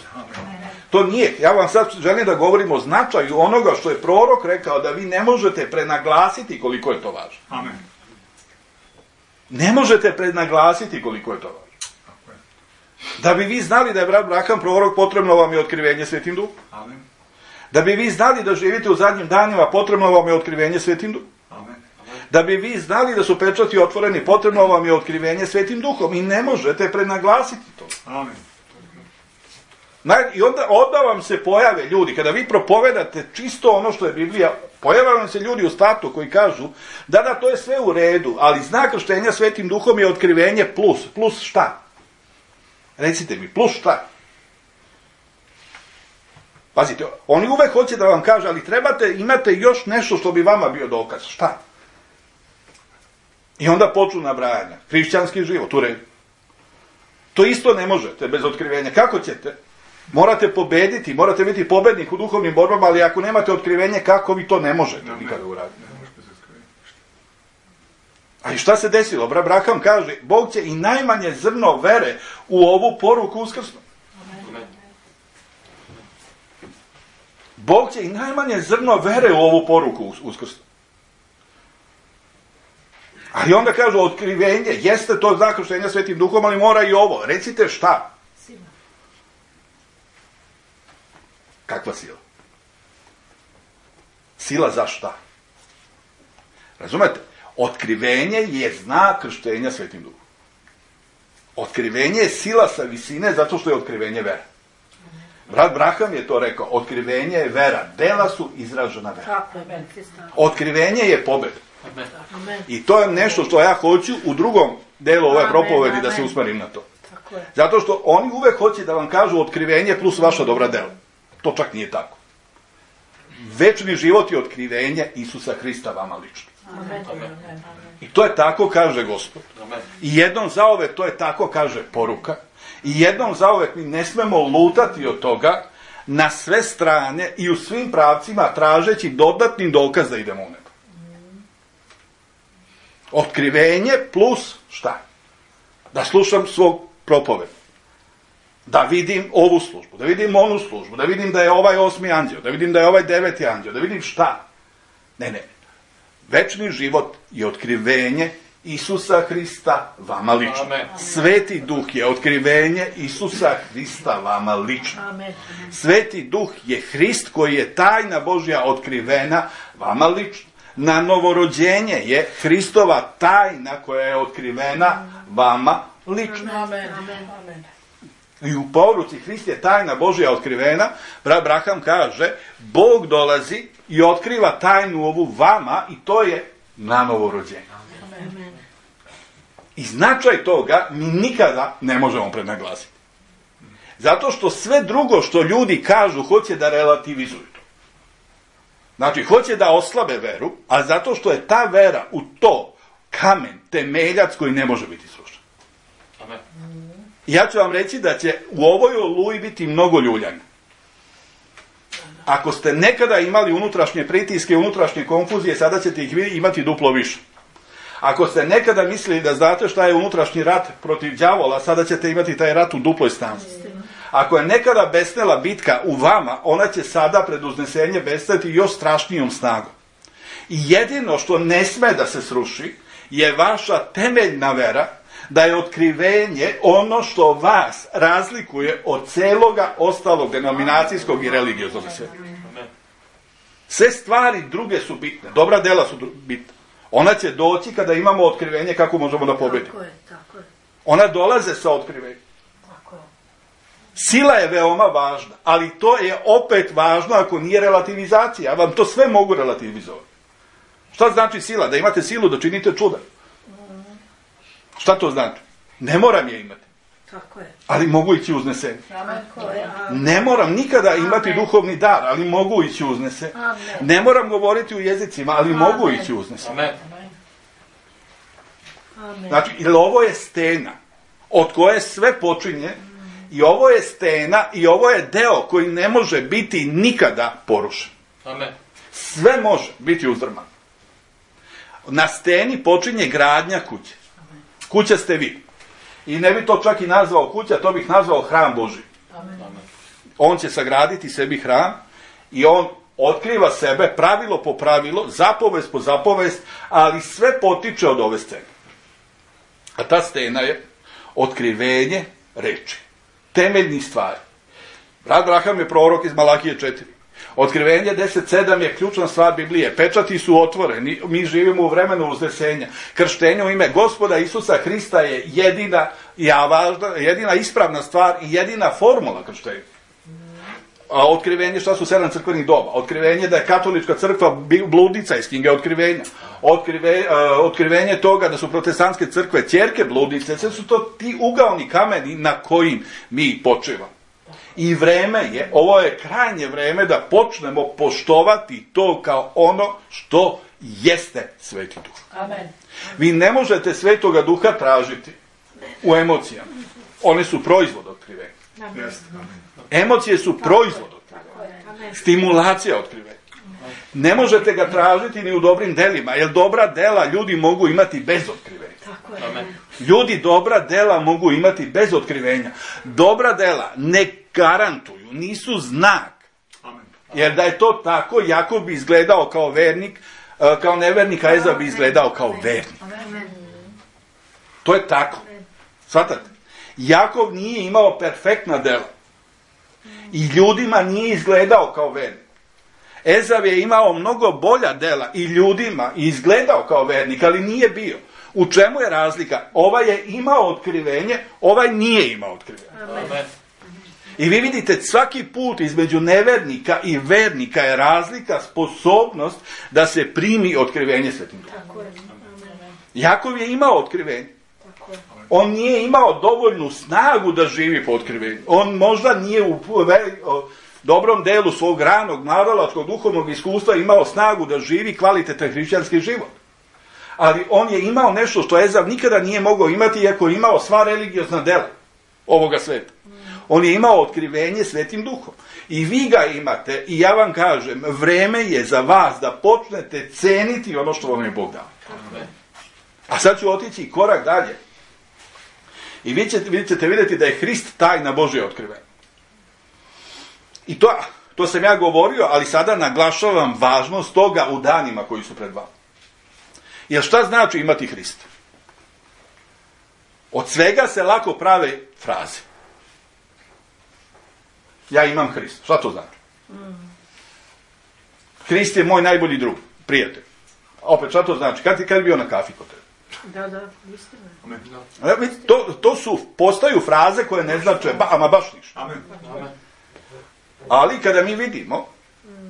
To nije. Ja vam sad želim da govorim o značaju onoga što je prorok rekao, da vi ne možete prenaglasiti koliko je to važno. Amen. Ne možete prenaglasiti koliko je to važno. Da bi vi znali da je brat Braham prorok, potrebno vam je otkrivenje Svetim Duhom. Amen. Da bi vi znali da živite u zadnjim danima, potrebno vam je otkrivenje Svetim Duhom. Amen. Da bi vi znali da su pečati otvoreni, potrebno vam je otkrivenje Svetim Duhom. I ne možete prenaglasiti to. Amen. I onda, onda vam se pojave ljudi, kada vi propovedate čisto ono što je Biblija, pojave vam se ljudi u startu koji kažu, da, da, to je sve u redu, ali znak krštenja Svetim Duhom je otkrivenje plus. Plus šta? Recite mi, plus šta? Pazite, oni uvek hoće da vam kaže, ali trebate, imate još nešto što bi vama bio dokaz. Šta? I onda počnu nabrajanja. Hrišćanski život, u redu. To isto ne možete bez otkrivenja. Kako ćete? Morate pobediti, morate biti pobednik u duhovnim borbama, ali ako nemate otkrivenje, kako vi to ne možete nikada uraditi? A i šta se desilo? Brat Braham kaže, Bog će i najmanje zrno vere u ovu poruku uskrsnu. Bog će i najmanje zrno vere u ovu poruku uskrsnu. Ali onda kažu, otkrivenje, jeste to znak krštenja Svetim Duhom, ali mora i ovo. Recite šta? Kakva sila? Sila za šta? Razumete? Otkrivenje je znak krštenja Svetim Duhom. Otkrivenje je sila sa visine zato što je otkrivenje vera. Brat Braham je to rekao, otkrivenje je vera, dela su izražena vera. Otkrivenje je pobjeda. I to je nešto što ja hoću u drugom delu ove propovedi da se usmerim na to. Zato što oni uvek hoće da vam kažu otkrivenje plus vaša dobra dela. To čak nije tako. Večni život je otkrivenje Isusa Hrista vama lično. I to je tako kaže Gospod. I jednom zauvek to je tako kaže poruka. I jednom zauvek mi ne smemo lutati od toga na sve strane i u svim pravcima tražeći dodatni dokaz da idemo u nebo. Otkrivenje plus šta? Da slušam svog propoveda. Da vidim ovu službu, da vidim onu službu, da vidim da je ovaj osmi anđeo, da vidim da je ovaj deveti anđeo, da vidim šta. Ne, ne. Večni život je otkrivenje Isusa Hrista vama lično. Amen. Sveti Duh je otkrivenje Isusa Hrista vama lično. Amen. Sveti Duh je Hrist koji je tajna Božja otkrivena vama lično. Na novorođenje je Hristova tajna koja je otkrivena vama lično. Amen. Amen. I u poruci Hrist je tajna Božja otkrivena, brat Braham kaže, Bog dolazi i otkriva tajnu ovu vama i to je na novorođenje. Amen. I značaj toga mi nikada ne možemo prenaglasiti. Zato što sve drugo što ljudi kažu hoće da relativizuju to. Znači, hoće da oslabe veru, a zato što je ta vera u to kamen, temeljac koji ne može biti srušen. Amen. Ja ću vam reći da će u ovoj oluji biti mnogo ljuljanja. Ako ste nekada imali unutrašnje pritiske, unutrašnje konfuzije, sada ćete ih imati duplo više. Ako ste nekada mislili da znate šta je unutrašnji rat protiv đavola, sada ćete imati taj rat u duploj snazi. Ako je nekada besnela bitka u vama, ona će sada pred uznesenje besneti još strašnijom snagom. I jedino što ne sme da se sruši je vaša temeljna vera, da je otkrivenje ono što vas razlikuje od celoga ostalog denominacijskog i religioznog svijeta. Sve stvari druge su bitne, dobra dela su bitne. Ona će doći kada imamo otkrivenje kako možemo da pobedimo. Tako je, tako je. Ona dolaze sa otkrivenjem. Tako je. Sila je veoma važna, ali to je opet važno ako nije relativizacija. Ja vam to sve mogu relativizovati. Šta znači sila? Da imate silu da činite čuda. Šta to znači? Ne moram je imati. Tako je. Ali mogu ići uznesenje. Ne moram nikada imati Amen. Duhovni dar, ali mogu ići uznesenje. Ne moram govoriti u jezicima, ali Amen. Mogu ići uznesenje. Znači, ili ovo je stena od koje sve počinje i ovo je stena i ovo je deo koji ne može biti nikada porušen. Amen. Sve može biti uzdrman. Na steni počinje gradnja kuće. Kuća ste vi. I ne bi to čak i nazvao kuća, to bih nazvao hram Božji. Amen. On će sagraditi sebi hram i on otkriva sebe pravilo po pravilo, zapovest po zapovest, ali sve potiče od ove scene. A ta stena je otkrivenje reči. Temeljnih stvari. Brat Braham je prorok iz Malakije četiri. Otkrivenje deset sedam je ključna stvar Biblije. Pečati su otvoreni. Mi živimo u vremenu uznesenja. Krštenje u ime Gospoda Isusa Hrista je jedina, ja važna, jedina ispravna stvar i jedina formula krštenja. Otkrivenje šta su sedam crkvenih doba. Otkrivenje da je katolička crkva bludnica iz knjige Otkrivenja. Otkrive, otkrivenje toga da su protestantske crkve ćerke bludnice. Sve su to ti ugaoni kameni na kojim mi počivamo. I vreme je, ovo je krajnje vreme da počnemo poštovati to kao ono što jeste Sveti Duh. Amen. Vi ne možete Svetoga Duha tražiti u emocijama. One su proizvod otkrivenja. Amen. Emocije su proizvod otkrivenja. Stimulacija otkrivenja. Ne možete ga tražiti ni u dobrim delima, jer dobra dela ljudi mogu imati bez otkrivenja. Amen. Ljudi dobra dela mogu imati bez otkrivenja. Dobra dela ne garantuju, nisu znak. Amen. Jer da je to tako, Jakov bi izgledao kao vernik, kao nevernik, a Ezau bi izgledao kao vernik. Amen. To je tako. Shvatate? Jakov nije imao perfektna dela. I ljudima nije izgledao kao vernik. Ezav je imao mnogo bolja dela i ljudima izgledao kao vernik, ali nije bio. U čemu je razlika? Ovaj je imao otkrivenje, ovaj nije imao otkrivenje. Amen. I vi vidite, svaki put između nevernika i vernika je razlika, sposobnost da se primi otkrivenje Svetim Duhom. Jakov je imao otkrivenje. On nije imao dovoljnu snagu da živi po otkrivenju. On možda nije u dobrom delu svog ranog, mladalačkog, duhovnog iskustva imao snagu da živi kvalitetan hrišćanski život. Ali on je imao nešto što Ezav nikada nije mogao imati, iako je imao sva religiozna dela ovoga sveta. On je imao otkrivenje Svetim Duhom. I vi ga imate, i ja vam kažem, vreme je za vas da počnete ceniti ono što vam je Bog dao. A sad ću otići korak dalje. I vi ćete, vi ćete vidjeti da je Hrist tajna Božja otkrivenja. I to, to sam ja govorio, ali sada naglašavam važnost toga u danima koji su pred vama. Jer šta znači imati Hrista? Od svega se lako prave fraze. Ja imam Hrista. Šta to znači? Hrist je moj najbolji drug, prijatelj. Opet, šta to znači? Kad, kad je bio na kafi kod tebe? Da, da, istina. To, to su, postaju fraze koje ne znače, ba, ama baš ništa. Amen. Amen. Ali kada mi vidimo,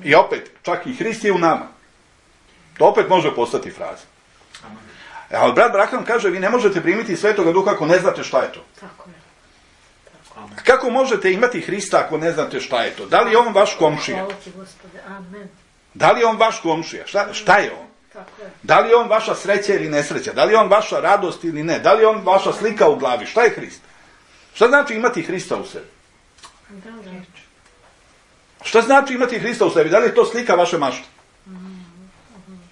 i opet, čak i Hrist je u nama, to opet može postati fraza. Ali brat Braham kaže, vi ne možete primiti Svetoga Duha ako ne znate šta je to. Tako je. Tako. Kako možete imati Hrista ako ne znate šta je to? Da li je on vaš komšija? Hvala ti, Gospode. Amen. Da li je on vaš komšija? Šta, šta je on? Tako je. Da li je on vaša sreća ili nesreća? Da li je on vaša radost ili ne? Da li je on vaša slika u glavi? Šta je Hrist? Šta znači imati Hrista u sebi? Da, da. Šta znači imati Hrista u sebi? Da li je to slika vaše mašte?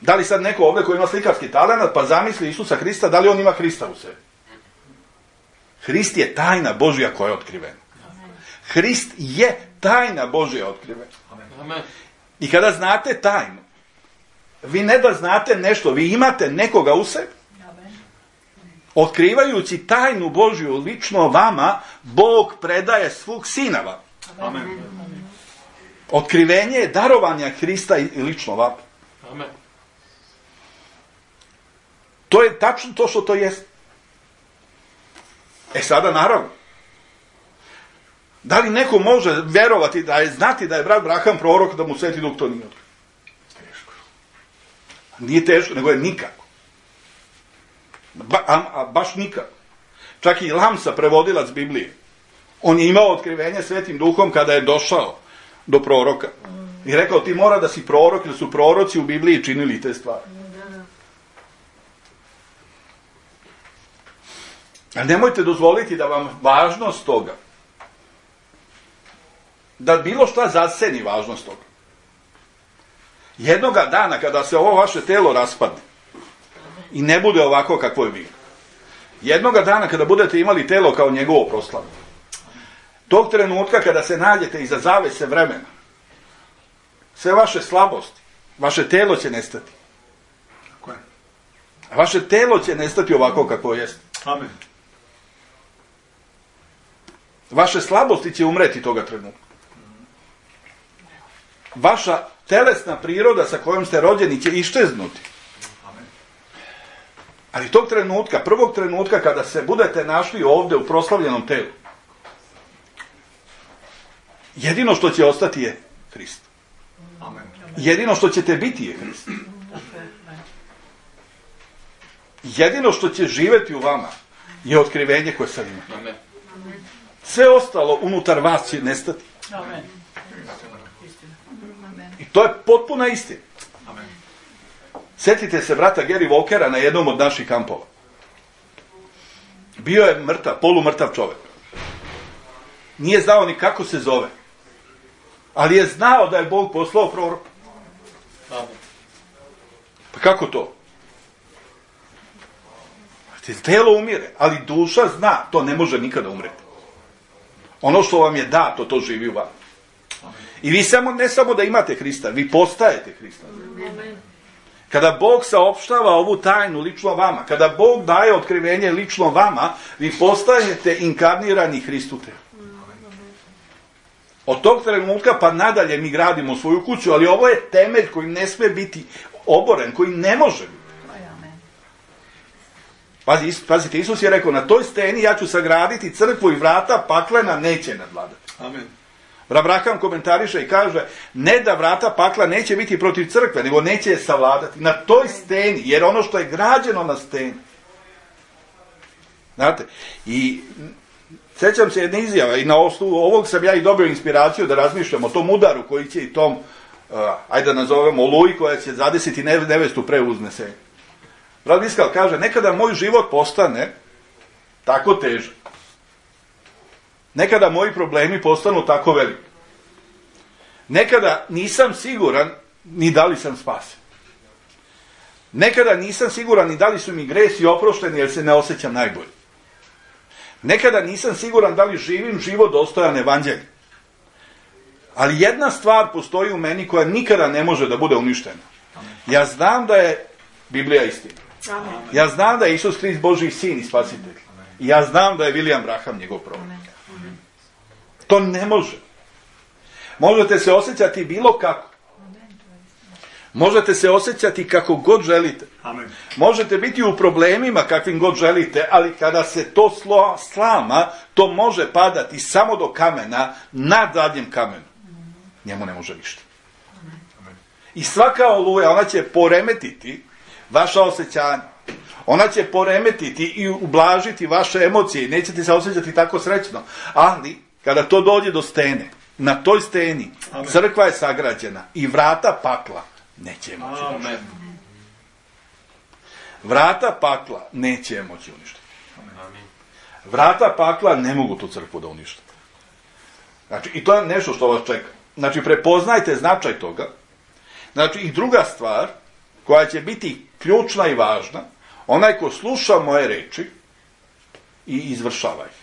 Da li sad neko ovdje koji ima slikarski talenat pa zamisli Isusa Hrista, da li on ima Hrista u sebi? Hrist je tajna Božja koja je otkrivena. Hrist je tajna Božja otkrivena. I kada znate tajnu, vi ne da znate nešto, vi imate nekoga u sebi. Otkrivajući tajnu Božju lično vama, Bog predaje svog sina vam. Amen. Otkrivenje je darovanja Hrista i lično vama. Amen. To je tačno to što to jest. E sada naravno, da li neko može vjerovati da je znati da je brat Braham prorok, da mu Sveti Duh to nije otkrio? Teško. Nije teško, nego je nikako. Ba, a, a baš nikako. Čak i Lamsa, prevodilac Biblije, on je imao otkrivenje Svetim Duhom kada je došao do proroka. I rekao, ti mora da si prorok, jer su proroci u Bibliji činili te stvari. A nemojte dozvoliti da vam važnost toga, da bilo šta zaseni važnost toga. Jednoga dana kada se ovo vaše telo raspadne i ne bude ovako kakvo je bilo, jednoga dana kada budete imali telo kao njegovo proslavu, tog trenutka kada se nađete iza zavese vremena, sve vaše slabosti, vaše telo će nestati. A vaše telo će nestati ovako kako jest. Amen. Vaše slabosti će umreti toga trenutka. Vaša telesna priroda sa kojom ste rođeni će iščeznuti. Ali tog trenutka, prvog trenutka kada se budete našli ovdje u proslavljenom telu, jedino što će ostati je Hrist. Jedino što ćete biti je Hrist. Jedino što će živjeti u vama je otkrivenje koje sad imate. Sve ostalo unutar vas će nestati. Amen. I to je potpuna istina. Sjetite se brata Gary Walkera na jednom od naših kampova. Bio je mrtav, polumrtav čovjek. Nije znao ni kako se zove. Ali je znao da je Bog poslao proroka. Pa kako to? Telo umire, ali duša zna, to ne može nikada umreti. Ono što vam je dato, to živi u vama. I vi samo, ne samo da imate Hrista, vi postajete Hrista. Kada Bog saopštava ovu tajnu lično vama, kada Bog daje otkrivenje lično vama, vi postajete inkarnirani Hristu telu. Od tog trenutka pa nadalje mi gradimo svoju kuću, ali ovo je temelj koji ne sme biti oboren, koji ne može biti. Pazi, pazite, Isus je rekao, na toj steni ja ću sagraditi crkvu i vrata paklena neće nadvladati. Amen. Abraham komentariše i kaže, ne da vrata pakla neće biti protiv crkve, nego neće je savladati. Na toj steni, jer ono što je građeno na steni. Znate, i sjećam se jedne izjave i na osnovu ovog sam ja i dobio inspiraciju da razmišljam o tom udaru koji će i tom, uh, ajde da nazovemo, oluji koja će zadesiti nevestu pre uznesenja. Brat Iskal kaže, nekada moj život postane tako težak. Nekada moji problemi postanu tako veliki. Nekada nisam siguran ni da li sam spasen. Nekada nisam siguran ni da li su mi gresi oprošteni jer se ne osjećam najbolje. Nekada nisam siguran da li živim život dostojan evanđelja. Ali jedna stvar postoji u meni koja nikada ne može da bude uništena. Ja znam da je Biblija istina. Ja znam da je Isus Hrist Božji sin i spasitelj. I ja znam da je William Branham njegov prorok. To ne može. Možete se osjećati bilo kako. Možete se osjećati kako god želite. Amen. Možete biti u problemima kakvim god želite, ali kada se to slo, slama, to može padati samo do kamena, na zadnjem kamenu. Njemu ne može ništa. I svaka oluja, ona će poremetiti vaša osjećanja. Ona će poremetiti i ublažiti vaše emocije. Nećete se osjećati tako srećno. Ali, kada to dođe do stene, na toj steni, amen, crkva je sagrađena i vrata pakla neće moći uništiti. Vrata pakla neće moći uništiti. Vrata pakla ne mogu tu crkvu da uništiti. Znači, i to je nešto što vas čeka. Znači, prepoznajte značaj toga. Znači, i druga stvar, koja će biti ključna i važna, onaj ko sluša moje reči i izvršava ih.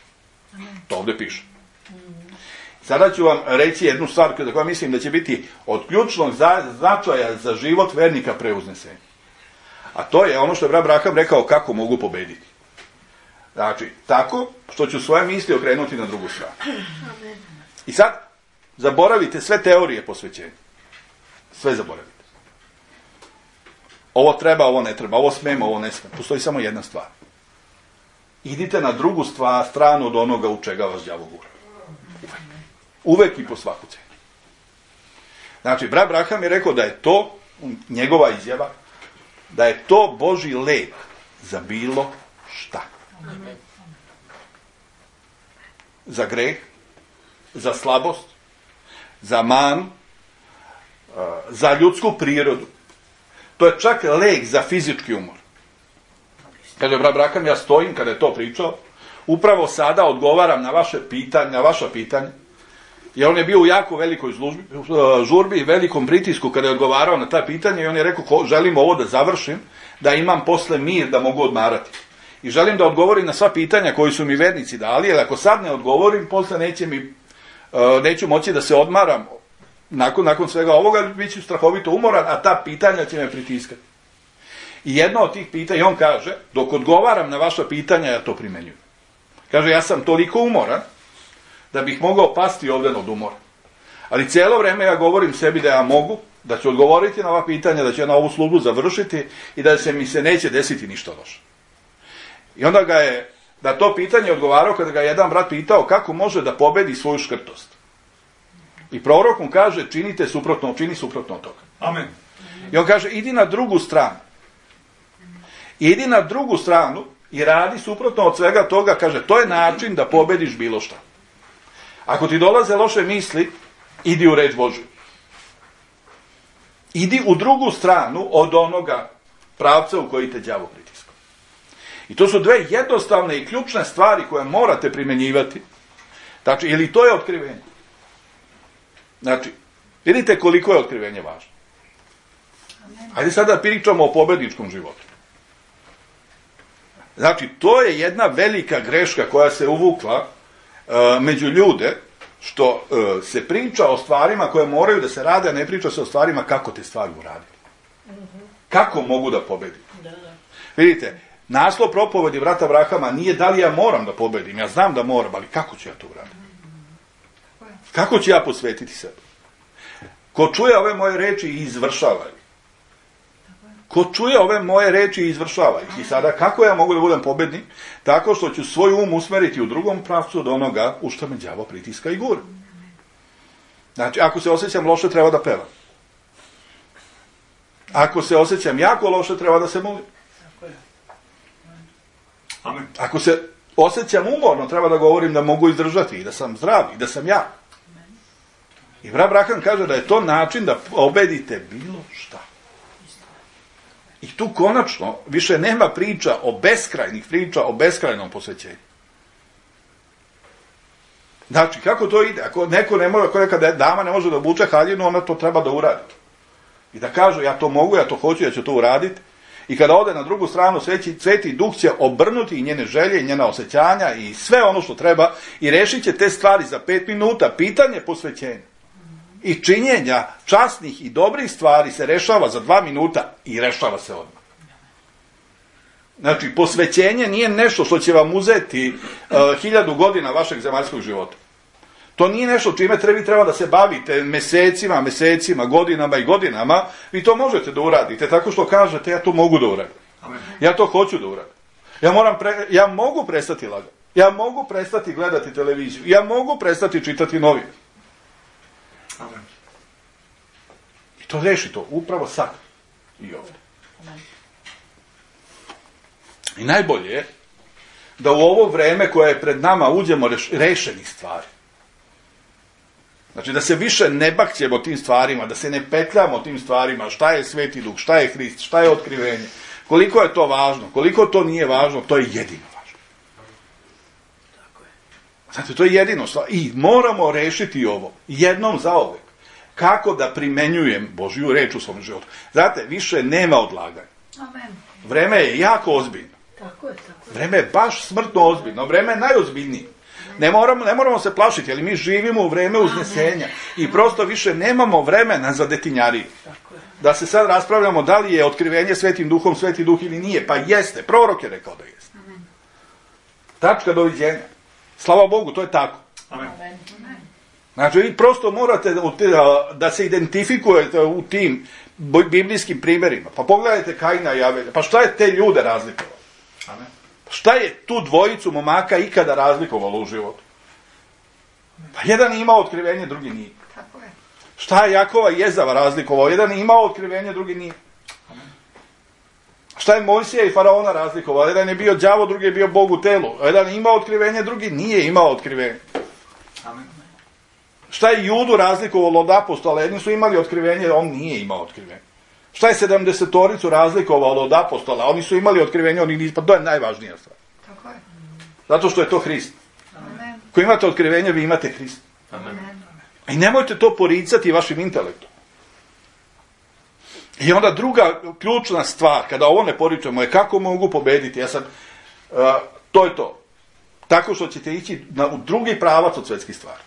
To ovdje piše. Sada ću vam reći jednu stvar za koju mislim da će biti od ključnog značaja za život vernika pre uznesenja. A to je ono što je brat Branham rekao kako mogu pobediti. Znači, tako što ću svoje misli okrenuti na drugu stranu. I sad, zaboravite sve teorije posvećenja. Sve zaboravite. Ovo treba, ovo ne treba, ovo smemo, ovo ne smemo. Postoji samo jedna stvar. Idite na drugu stvar, stranu od onoga u čega vas đavo gura. Uvek. Uvek i po svaku cenu. Znači, brat Branham je rekao da je to, njegova izjava, da je to Božji lek za bilo šta. Za greh, za slabost, za manu, za ljudsku prirodu. To je čak lek za fizički umor. Kaže brat Branham, ja stojim kada je to pričao, upravo sada odgovaram na vaše pitanje, na vaša pitanja, jer on je bio u jako velikoj službi, žurbi i velikom pritisku kada je odgovarao na ta pitanja i on je rekao, želim ovo da završim, da imam posle mir, da mogu odmarati. I želim da odgovorim na sva pitanja koji su mi vernici dali, jer ako sad ne odgovorim, posle neće mi, neću moći da se odmaram. Nakon, nakon svega ovoga bit ću strahovito umoran, a ta pitanja će me pritiskati. I jedno od tih pitanja, i on kaže, dok odgovaram na vaša pitanja, ja to primenjujem. Kaže, ja sam toliko umoran, da bih mogao pasti ovdje od umora. Ali cijelo vrijeme ja govorim sebi da ja mogu, da ću odgovoriti na ova pitanja, da ću ja na ovu službu završiti i da se mi se neće desiti ništa loše. I onda ga je, da to pitanje odgovarao kada ga je jedan brat pitao kako može da pobedi svoju škrtost. I prorok mu kaže, činite suprotno, čini suprotno od toga. Amen. I on kaže, idi na drugu stranu. Idi na drugu stranu i radi suprotno od svega toga, kaže, to je način da pobediš bilo šta. Ako ti dolaze loše misli, idi u reč Božju. Idi u drugu stranu od onoga pravca u koji te đavo pritiska. I to su dve jednostavne i ključne stvari koje morate primjenjivati. Znači, ili to je otkrivenje. Znači, vidite koliko je otkrivenje važno. Ajde sada pričamo o pobedničkom životu. Znači, to je jedna velika greška koja se uvukla uh, među ljude, što uh, se priča o stvarima koje moraju da se rade, a ne priča se o stvarima kako te stvari uraditi. Kako mogu da pobedim? Vidite, naslov propovedi brata Branhama nije da li ja moram da pobedim, ja znam da moram, ali kako ću ja to uraditi? Kako ću ja posvetiti sebe? Ko čuje ove moje reči i izvršava ih. Ko čuje ove moje reči i izvršava ih. I sada kako ja mogu da budem pobednik? Tako što ću svoj um usmeriti u drugom pravcu od onoga u što me đavo pritiska i gura. Znači, ako se osjećam loše, treba da pevam. Ako se osjećam jako loše, treba da se molim. Amen. Ako se osjećam umorno, treba da govorim da mogu izdržati i da sam zdrav i da sam ja. I brat Brahan kaže da je to način da pobedite bilo šta. I tu konačno više nema priča o beskrajnih priča, o beskrajnom posvećenju. Znači, kako to ide? Ako neko ne može, ako neka dama ne može da obuče haljinu, ona to treba da uradi. I da kaže, ja to mogu, ja to hoću, ja ću to uraditi. I kada ode na drugu stranu, Sveti, Sveti Duh će obrnuti i njene želje, i njena osjećanja i sve ono što treba i rešit će te stvari za pet minuta. Pitanje posvećenja i činjenja časnih i dobrih stvari se rešava za dva minuta i rešava se odmah. Znači, posvećenje nije nešto što će vam uzeti uh, hiljadu godina vašeg zemaljskog života. To nije nešto čime vi treba da se bavite mesecima, mesecima, godinama i godinama. Vi to možete da uradite tako što kažete, ja to mogu da uradim. Ja to hoću da uradim. Ja, moram pre, ja mogu prestati lagati. Ja mogu prestati gledati televiziju. Ja mogu prestati čitati novine. Amen. I to reši to, upravo sad i ovdje. Amen. I najbolje je da u ovo vreme koje je pred nama uđemo reš, rešenih stvari. Znači da se više ne bakćemo tim stvarima, da se ne petljamo tim stvarima, šta je Sveti Duh, šta je Hrist, šta je otkrivenje, koliko je to važno, koliko to nije važno, to je jedino važno. Znate, to je jedino stvar. I moramo rešiti ovo, jednom zauvek, kako da primenjujem Božju reč u svom životu. Znate, više nema odlaganja. Amen. Vreme je jako ozbiljno. Tako je, tako je. Vreme je baš smrtno ozbiljno, vreme je najozbiljnije. Ne moramo, ne moramo se plašiti, ali mi živimo u vreme uznesenja i prosto više nemamo vremena za detinjariju. Da se sad raspravljamo da li je otkrivenje Svetim Duhom Sveti Duh ili nije. Pa jeste, prorok je rekao da jeste. Amen. Tačka, doviđenja. Slava Bogu, to je tako. Amen. Znači, vi prosto morate da se identifikujete u tim biblijskim primjerima. Pa pogledajte Kaina i Avelja. Pa šta je te ljude razlikovalo? Amen. Šta je tu dvojicu momaka ikada razlikovalo u životu? Pa jedan je imao otkrivenje, drugi nije. Tako je. Šta je Jakova i Jezava razlikovao? Jedan je imao otkrivenje, drugi nije. Šta je Mojsija i Faraona razlikovao? Jedan je bio đavo, drugi je bio Bog u telu. Jedan je imao otkrivenje, drugi nije imao otkrivenje. Amen. Šta je Judu razlikovalo od apostola? Jedni su imali otkrivenje, on nije imao otkrivenje. Šta je sedamdesetoricu razlikovalo od apostola? Oni su imali otkrivenje, oni nisu. Pa to je najvažnija stvar. Tako je. Zato što je to Hrist. Amen. Ko imate otkrivenje, vi imate Hrist. Amen. I nemojte to poricati vašim intelektom. I onda druga ključna stvar, kada ovo ne poričemo, je kako mogu pobediti. Ja sam, uh, to je to. Tako što ćete ići na, u drugi pravac od svetskih stvari.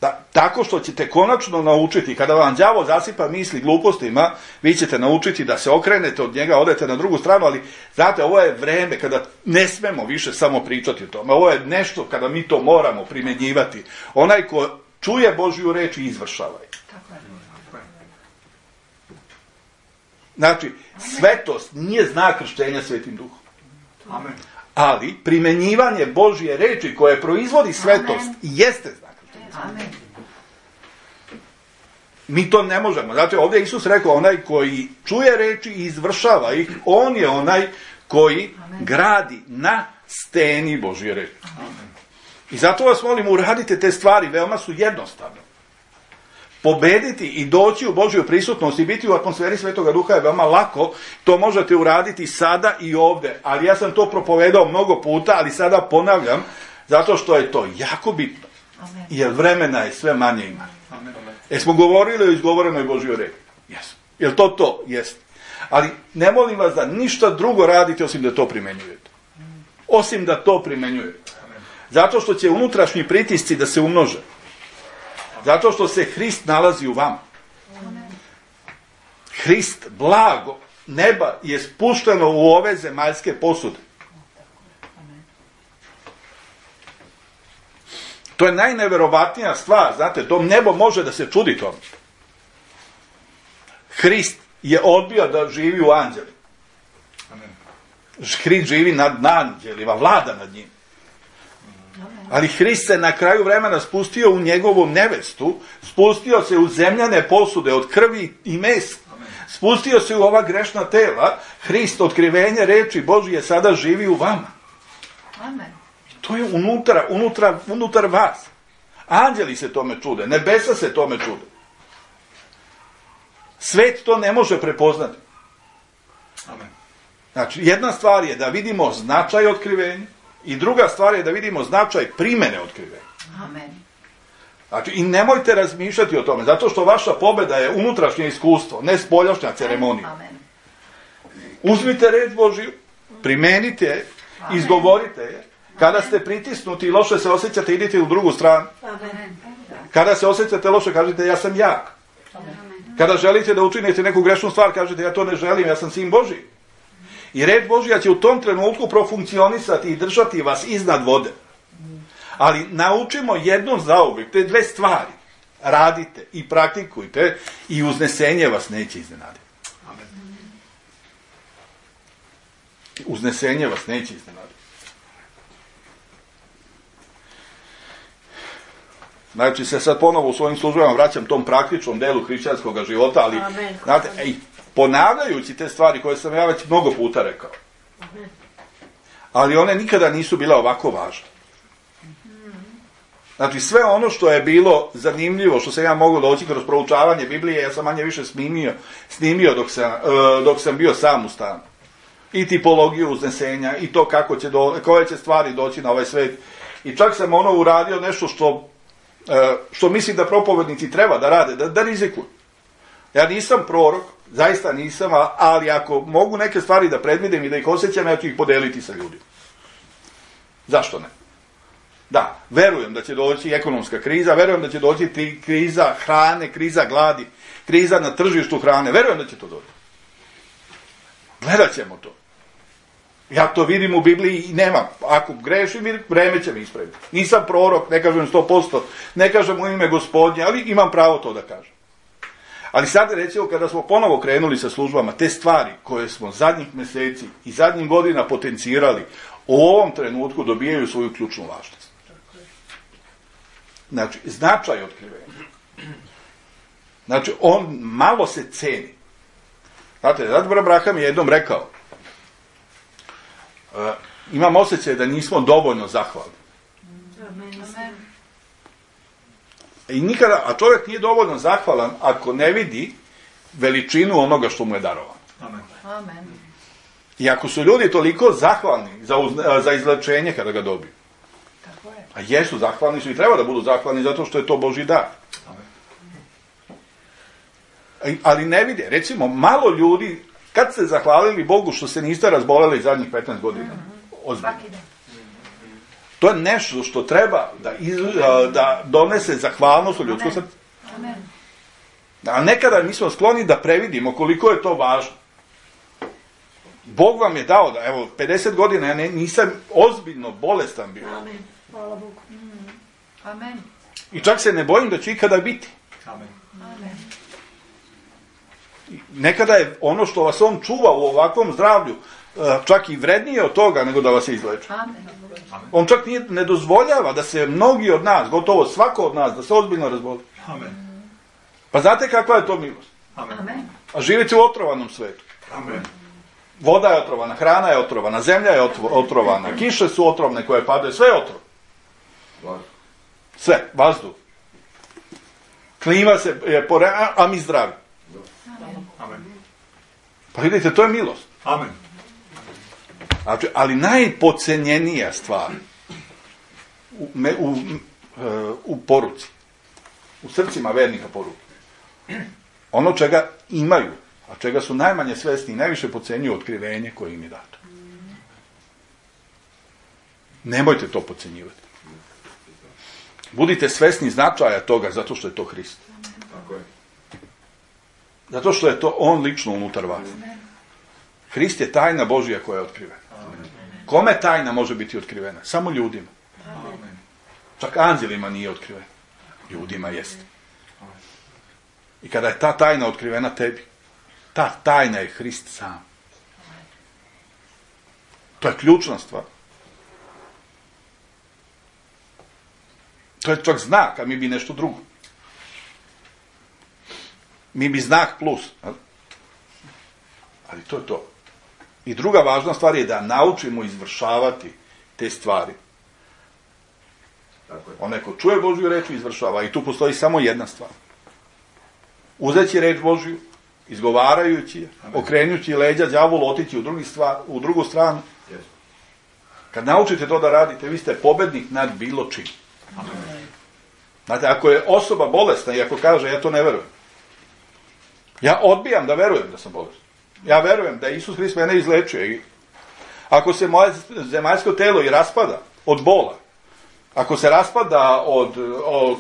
Da, tako što ćete konačno naučiti, kada vam đavo zasipa misli glupostima, vi ćete naučiti da se okrenete od njega, odete na drugu stranu, ali znate, ovo je vreme kada ne smemo više samo pričati o tome. Ovo je nešto kada mi to moramo primjenjivati. Onaj ko čuje Božju reč i izvršava je. Tako je. Znači, svetost nije znak krštenja Svetim Duhom. Amen. Ali primjenjivanje Božje reči koje proizvodi svetost jeste znak. Amen. Mi to ne možemo. Znači, ovdje Isus rekao, onaj koji čuje reči i izvršava ih, on je onaj koji Amen. Gradi na steni Božje reči. Amen. I zato vas molim, uradite te stvari, veoma su jednostavne. Pobediti i doći u Božju prisutnost i biti u atmosferi Svetoga Duha je veoma lako. To možete uraditi sada i ovdje. Ali ja sam to propovedao mnogo puta, ali sada ponavljam, zato što je to jako bitno. Amen. Jer vremena je sve manje ima. Amen. Jesmo govorili o izgovorenoj Božjoj reči? Jesmo. Jel to to? Jeste. Ali ne molim vas da ništa drugo radite osim da to primenjujete. Osim da to primenjujete. Zato što će unutrašnji pritisci da se umnože. Zato što se Hrist nalazi u vama. Hrist, blago neba je spušteno u ove zemaljske posude. To je najneverovatnija stvar, znate, to nebo može da se čudi tome. Hrist je odbio da živi u anđeli. Amen. Hrist živi nad anđelima, vlada nad njim. Ali Hrist se na kraju vremena spustio u njegovu nevestu, spustio se u zemljane posude od krvi i mesa. Spustio se u ova grešna tela. Hrist, otkrivenje reči Božije, sada živi u vama. Amen. To je unutra, unutra, unutar vas. Anđeli se tome čude, nebesa se tome čude. Svet to ne može prepoznati. Amen. Znači, jedna stvar je da vidimo značaj otkrivenja i druga stvar je da vidimo značaj primene otkrivenja. Amen. Znači, i nemojte razmišljati o tome, zato što vaša pobeda je unutrašnje iskustvo, ne spoljašnja ceremonija. Amen. Uzmite reč Božiju, primenite je, izgovorite je. Kada ste pritisnuti i loše se osjećate, idite u drugu stranu. Amen. Kada se osjećate loše, kažete ja sam jak. Kada želite da učinite neku grešnu stvar, kažete ja to ne želim, ja sam sin Božji. I reč Božja će u tom trenutku profunkcionisati i držati vas iznad vode. Ali naučimo jednom zauvijek, te dve stvari. Radite i praktikujte i uznesenje vas neće iznenaditi. Amen. Uznesenje vas neće iznenaditi. Znači se sad ponovo u svojim službama vraćam tom praktičnom delu hrišćanskog života, ali Amen. znate, ej, ponavljajući te stvari koje sam ja već mnogo puta rekao. Amen. Ali one nikada nisu bile ovako važne. Znači sve ono što je bilo zanimljivo, što sam ja mogao doći kroz proučavanje Biblije, ja sam manje više snimio, snimio dok, sam, uh, dok sam bio sam u stanu. I tipologiju uznesenja, i to kako će do, koje će stvari doći na ovaj svet. I čak sam ono uradio nešto što što mislim da propovednici treba da rade, da, da rizikuju. Ja nisam prorok, zaista nisam, ali ako mogu neke stvari da predvidim i da ih osjećam, ja ću ih podeliti sa ljudima. Zašto ne? Da, verujem da će doći ekonomska kriza, verujem da će doći ti kriza hrane, kriza gladi, kriza na tržištu hrane, verujem da će to doći. Gledat ćemo to. Ja to vidim u Bibliji i nemam. Ako grešim, vreme će mi ispraviti. Nisam prorok, ne kažem sto posto, ne kažem u ime Gospodnje, ali imam pravo to da kažem. Ali sad recimo kada smo ponovo krenuli sa službama, te stvari koje smo zadnjih mjeseci i zadnjih godina potencirali, u ovom trenutku dobijaju svoju ključnu važnost. Znači, značaj otkrivenja. Znači, on malo se ceni. Znate, zato Abraham je jednom rekao, Uh, imam osjećaj da nismo dovoljno zahvalni. Amen. I nikada, a čovjek nije dovoljno zahvalan ako ne vidi veličinu onoga što mu je darovano. Amen. Amen. I ako su ljudi toliko zahvalni za, uz, za izlečenje kada ga dobiju. Tako je. A jesu, zahvalni su i treba da budu zahvalni zato što je to Božji dar. Amen. Ali ne vide, recimo, malo ljudi, kad ste zahvalili Bogu što se niste razboleli zadnjih petnaest godina? Ozbiljno. Svaki dan. To je nešto što treba da, iz, da donese zahvalnost u ljudsko srce. Amen. A nekada mi smo skloni da previdimo koliko je to važno. Bog vam je dao da, evo, pedeset godina ja ne, nisam ozbiljno bolestan bio. Amen. Hvala Bogu. Amen. I čak se ne bojim da će ikada biti. Amen. Amen. Nekada je ono što vas on čuva u ovakvom zdravlju čak i vrednije od toga nego da vas se izleči. Amen. On čak nije, ne dozvoljava da se mnogi od nas, gotovo svako od nas, da se ozbiljno razboli. Amen. Pa znate kakva je to milost? Amen. Amen. A živite u otrovanom svetu. Amen. Voda je otrovana, hrana je otrovana, zemlja je otrovana, kiše su otrovne koje padaju, sve je otrovno. Sve, vazduh. Klima se je pore, a, a mi zdravi. Amen. Pa vidite, to je milost. Amen. Znači, ali najpocenjenija stvar u, me, u, u poruci, u srcima vernika poruke, ono čega imaju, a čega su najmanje svesni i najviše pocenjuju, otkrivenje koje im je dato. Nemojte to pocenjivati. Budite svesni značaja toga zato što je to Hrist. Tako je. Zato što je to on lično unutar vas. Hrist je tajna Božja koja je otkrivena. Kome tajna može biti otkrivena? Samo ljudima. Amen. Čak anđelima nije otkriven. Ljudima jeste. I kada je ta tajna otkrivena tebi, ta tajna je Hrist sam. To je ključna stvar. To je čak znak, a mi bi nešto drugo. Mi bi znak plus. Ali to je to. I druga važna stvar je da naučimo izvršavati te stvari. Onaj ko čuje Božju reč izvršava. I tu postoji samo jedna stvar. Uzeći reč Božju, izgovarajući je, okrenući leđa đavolu, otići u, drugi stvar, u drugu stranu. Kad naučite to da radite, vi ste pobednik nad bilo čim. Znate, ako je osoba bolesna i ako kaže, ja to ne verujem. Ja odbijam da verujem da sam bolestan. Ja verujem da Isus Hrist mene izlečuje. Ako se moje zemaljsko telo i raspada od bola, ako se raspada od, od,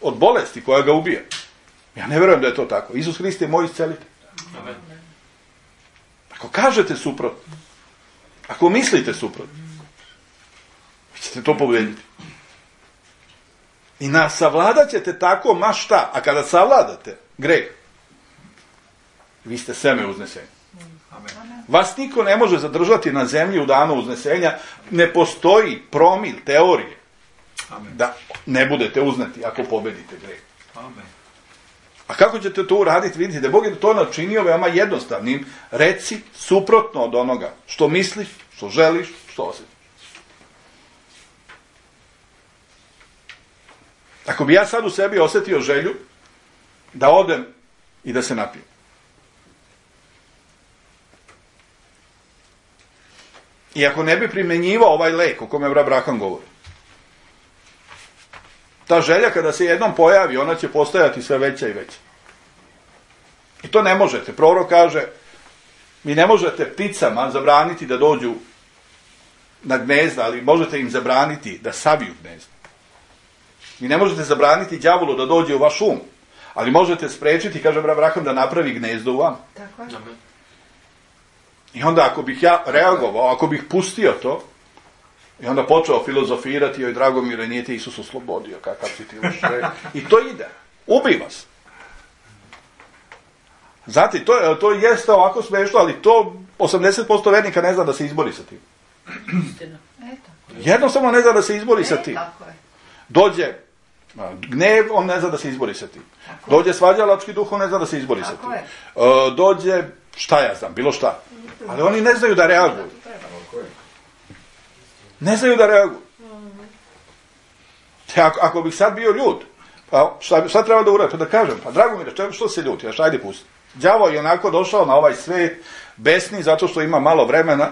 od bolesti koja ga ubija, ja ne verujem da je to tako. Isus Hrist je moj iscelitelj. Ako kažete suprotno, ako mislite suprotno, vi ćete to pobediti. I na savladat ćete tako ma šta, a kada savladate greh, vi ste seme uznesenja. Vas niko ne može zadržati na zemlji u danu uznesenja, ne postoji promil teorije da ne budete uzneti ako pobedite greh. A kako ćete to uraditi? Vidite da Bog je to načinio veoma jednostavnim. Reci suprotno od onoga što misliš, što želiš, što osjetiš. Ako bi ja sad u sebi osjetio želju da odem i da se napijem, i ako ne bi primjenjivao ovaj lek o kome Abraham govori, ta želja kada se jednom pojavi, ona će postajati sve veća i veća. I to ne možete. Prorok kaže, vi ne možete pticama zabraniti da dođu na gnezda, ali možete im zabraniti da saviju gnezda. Vi ne možete zabraniti đavolu da dođe u vaš um, ali možete sprečiti, kaže Abraham, da napravi gnezdo u vam. Tako je. I onda ako bih ja reagovao, ako bih pustio to, i onda počeo filozofirati, joj Dragomire, nije te Isus oslobodio, kakav si ti loše. I to ide. Ubi vas. Znate, to, to jeste ovako smešno, ali to osamdeset posto vernika ne zna da se izbori sa tim. Jednostavno ne zna da se izbori sa tim. Dođe gnev, on ne zna da se izbori sa tim. Dođe svađalački duh, on ne zna da se izbori sa tim. Dođe, šta ja znam, bilo šta. Ali oni ne znaju da reaguju. Ne znaju da reaguju. Ako, ako bih sad bio ljud, pa šta, šta treba da uradim? Pa da kažem, pa Dragomire, što se ljuti? Aš, ajde pusti. Đavo je onako došao na ovaj svet besni zato što ima malo vremena,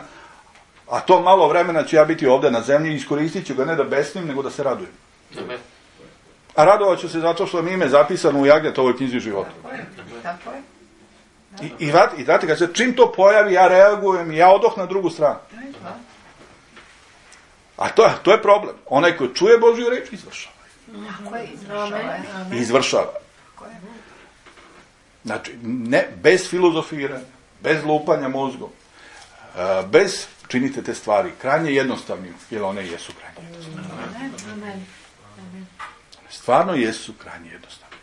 a to malo vremena ću ja biti ovdje na zemlji i iskoristit ću ga ne da besnim, nego da se radujem. Amen. A radovat ću se zato što mi ime zapisano u Jagnetovoj knjizi života. Tako je. I, i, i znate, kad se čim to pojavi, ja reagujem i ja odoh na drugu stranu. A to, to je problem. Onaj koji čuje Božju reč, izvršava. Tako je, izvršava. Izvršava. Znači, ne, bez filozofiranja, bez lupanja mozgom, bez, činite te stvari krajnje jednostavnim, jer one jesu krajnje jednostavne. Stvarno jesu krajnje jednostavne.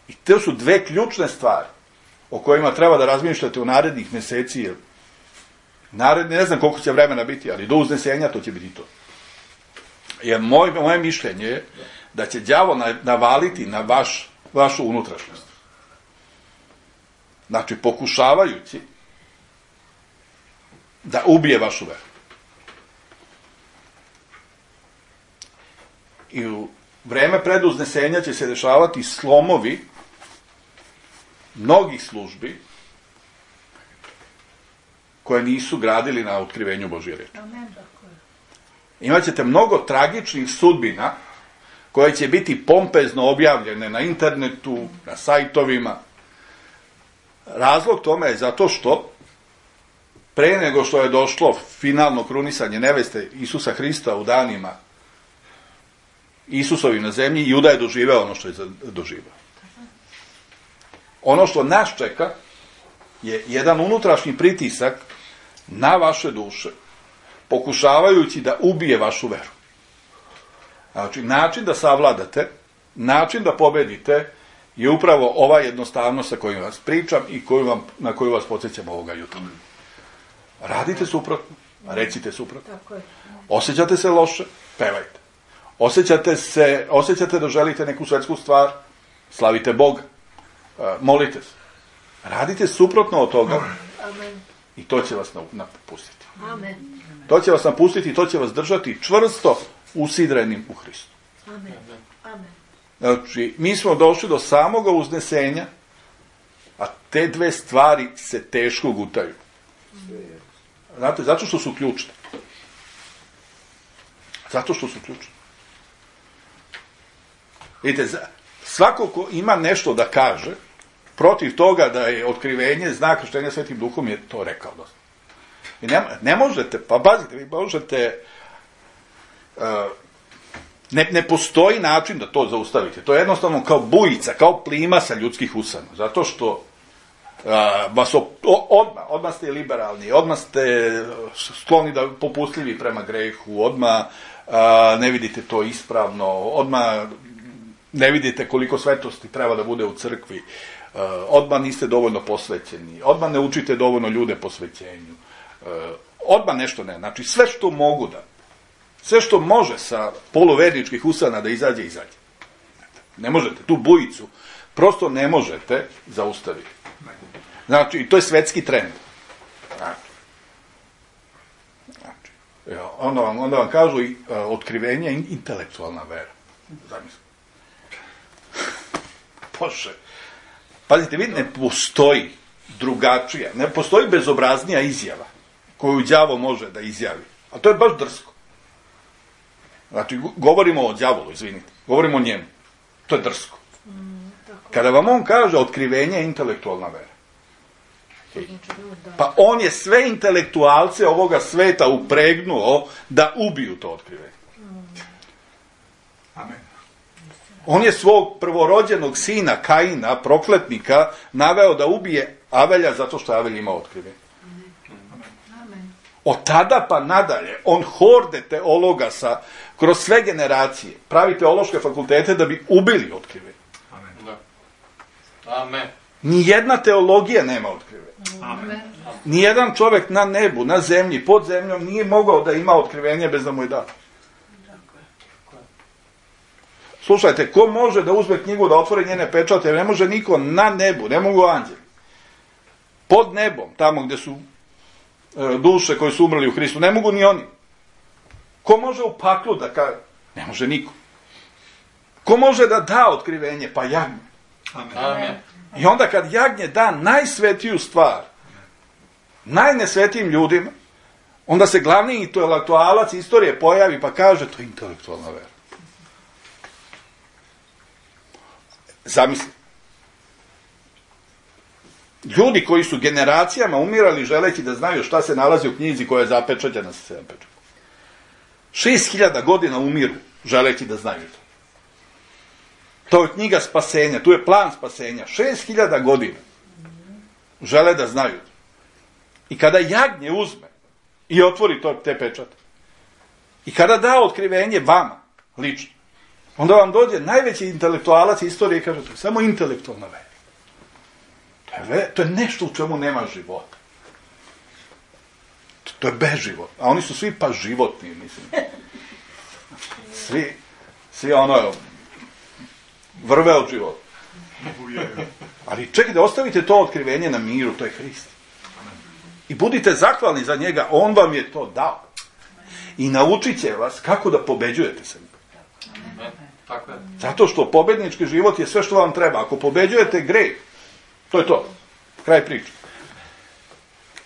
I to su dve ključne stvari o kojima treba da razmišljate u narednih mjeseci, jer naredni, ne znam koliko će vremena biti, ali do uznesenja to će biti to. Jer moj, moje mišljenje je da će đavo navaliti na vaš, vašu unutrašnjost. Znači, pokušavajući da ubije vašu veru. I u vreme pred uznesenja će se dešavati slomovi mnogih službi koje nisu gradili na otkrivenju Božje reči. Imaćete mnogo tragičnih sudbina koje će biti pompezno objavljene na internetu, na sajtovima. Razlog tome je zato što pre nego što je došlo finalno krunisanje neveste Isusa Hrista u danima Isusovi na zemlji, Juda je doživeo ono što je doživeo. Ono što nas čeka je jedan unutrašnji pritisak na vaše duše, pokušavajući da ubije vašu veru. Znači, način da savladate, način da pobedite je upravo ova jednostavnost sa kojom vas pričam i koju vam, na koju vas podsjećam ovoga jutra. Radite suprotno, recite suprotno. Tako je. Osjećate se loše, pevajte. Osjećate se, osjećate da želite neku svetsku stvar, slavite Boga, molite se. Radite suprotno od toga Amen. i to će vas napustiti. Amen. To će vas napustiti i to će vas držati čvrsto usidrenim u Hristu. Amen. Amen. Znači, mi smo došli do samoga uznesenja, a te dve stvari se teško gutaju. Znate, zato što su ključne. Zato što su ključne. Vidite, svako ko ima nešto da kaže, protiv toga da je otkrivenje, znak krštenja Svetim Duhom, je to rekao dosta. I ne, ne možete, pa pazite, vi možete, uh, ne, ne postoji način da to zaustavite. To je jednostavno kao bujica, kao plima sa ljudskih usana. Zato što uh, vas o, odmah, odmah ste liberalni, odmah ste skloni da popustljivi prema grehu, odmah uh, ne vidite to ispravno, odmah ne vidite koliko svetosti treba da bude u crkvi, uh, odmah niste dovoljno posvećeni, odmah ne učite dovoljno ljude posvećenju, uh, odmah nešto ne. Znači, sve što mogu da, sve što može sa poluverničkih usana da izađe, izađe. Ne možete, tu bujicu prosto ne možete zaustaviti. Znači, i to je svetski trend. Znači, znači onda, vam, onda vam kažu i uh, otkrivenje je intelektualna vera. Zamislite. Bože. Pazite, vi, ne postoji drugačija, ne postoji bezobraznija izjava koju đavo može da izjavi. A to je baš drsko. Znači, govorimo o đavolu, izvinite. Govorimo o njemu. To je drsko. Kada vam on kaže otkrivenje je intelektualna vera. Pa on je sve intelektualce ovoga sveta upregnuo da ubiju to otkrivenje. Amen. On je svog prvorođenog sina Kaina, prokletnika, naveo da ubije Avelja zato što Avelj ima otkrivenje. Od tada pa nadalje, on horde teologa sa, kroz sve generacije, pravi teološke fakultete da bi ubili otkrivenje. Amen. Amen. Nijedna teologija nema otkrivenje. Amen. Nijedan čovjek na nebu, na zemlji, pod zemljom nije mogao da ima otkrivenje bez da mu je da. Slušajte, ko može da uzme knjigu, da otvori njene pečate? Ne može niko na nebu, ne mogu anđeli. Pod nebom, tamo gdje su e, duše koje su umrli u Hristu, ne mogu ni oni. Ko može u paklu da kaže? Ne može niko. Ko može da da otkrivenje? Pa jagnje. Amen. Amen. I onda kad jagnje da najsvetiju stvar, najnesvetijim ljudima, onda se glavni intelektualac istorije pojavi pa kaže to je intelektualna vera. Zamisli. Ljudi koji su generacijama umirali želeći da znaju šta se nalazi u knjizi koja je zapečaćena sa sedam pečata. Šest hiljada godina umiru želeći da znaju to. To je knjiga spasenja, tu je plan spasenja. Šest hiljada godina žele da znaju to. I kada jagnje uzme i otvori to, te pečate, i kada da otkrivenje vama, lično, onda vam dođe najveći intelektualac istorije i kaže, to je samo intelektualna vera. To je, ve, to je nešto u čemu nema života. To, to je beživot. A oni su svi pa životni, mislim. Svi, svi ono, vrve od života. Ali čekajte, ostavite to otkrivenje na miru, to je Hrist. I budite zahvalni za njega, on vam je to dao. I naučit će vas kako da pobeđujete se. Tako je. Zato što pobednički život je sve što vam treba. Ako pobeđujete greh, to je to. Kraj priče.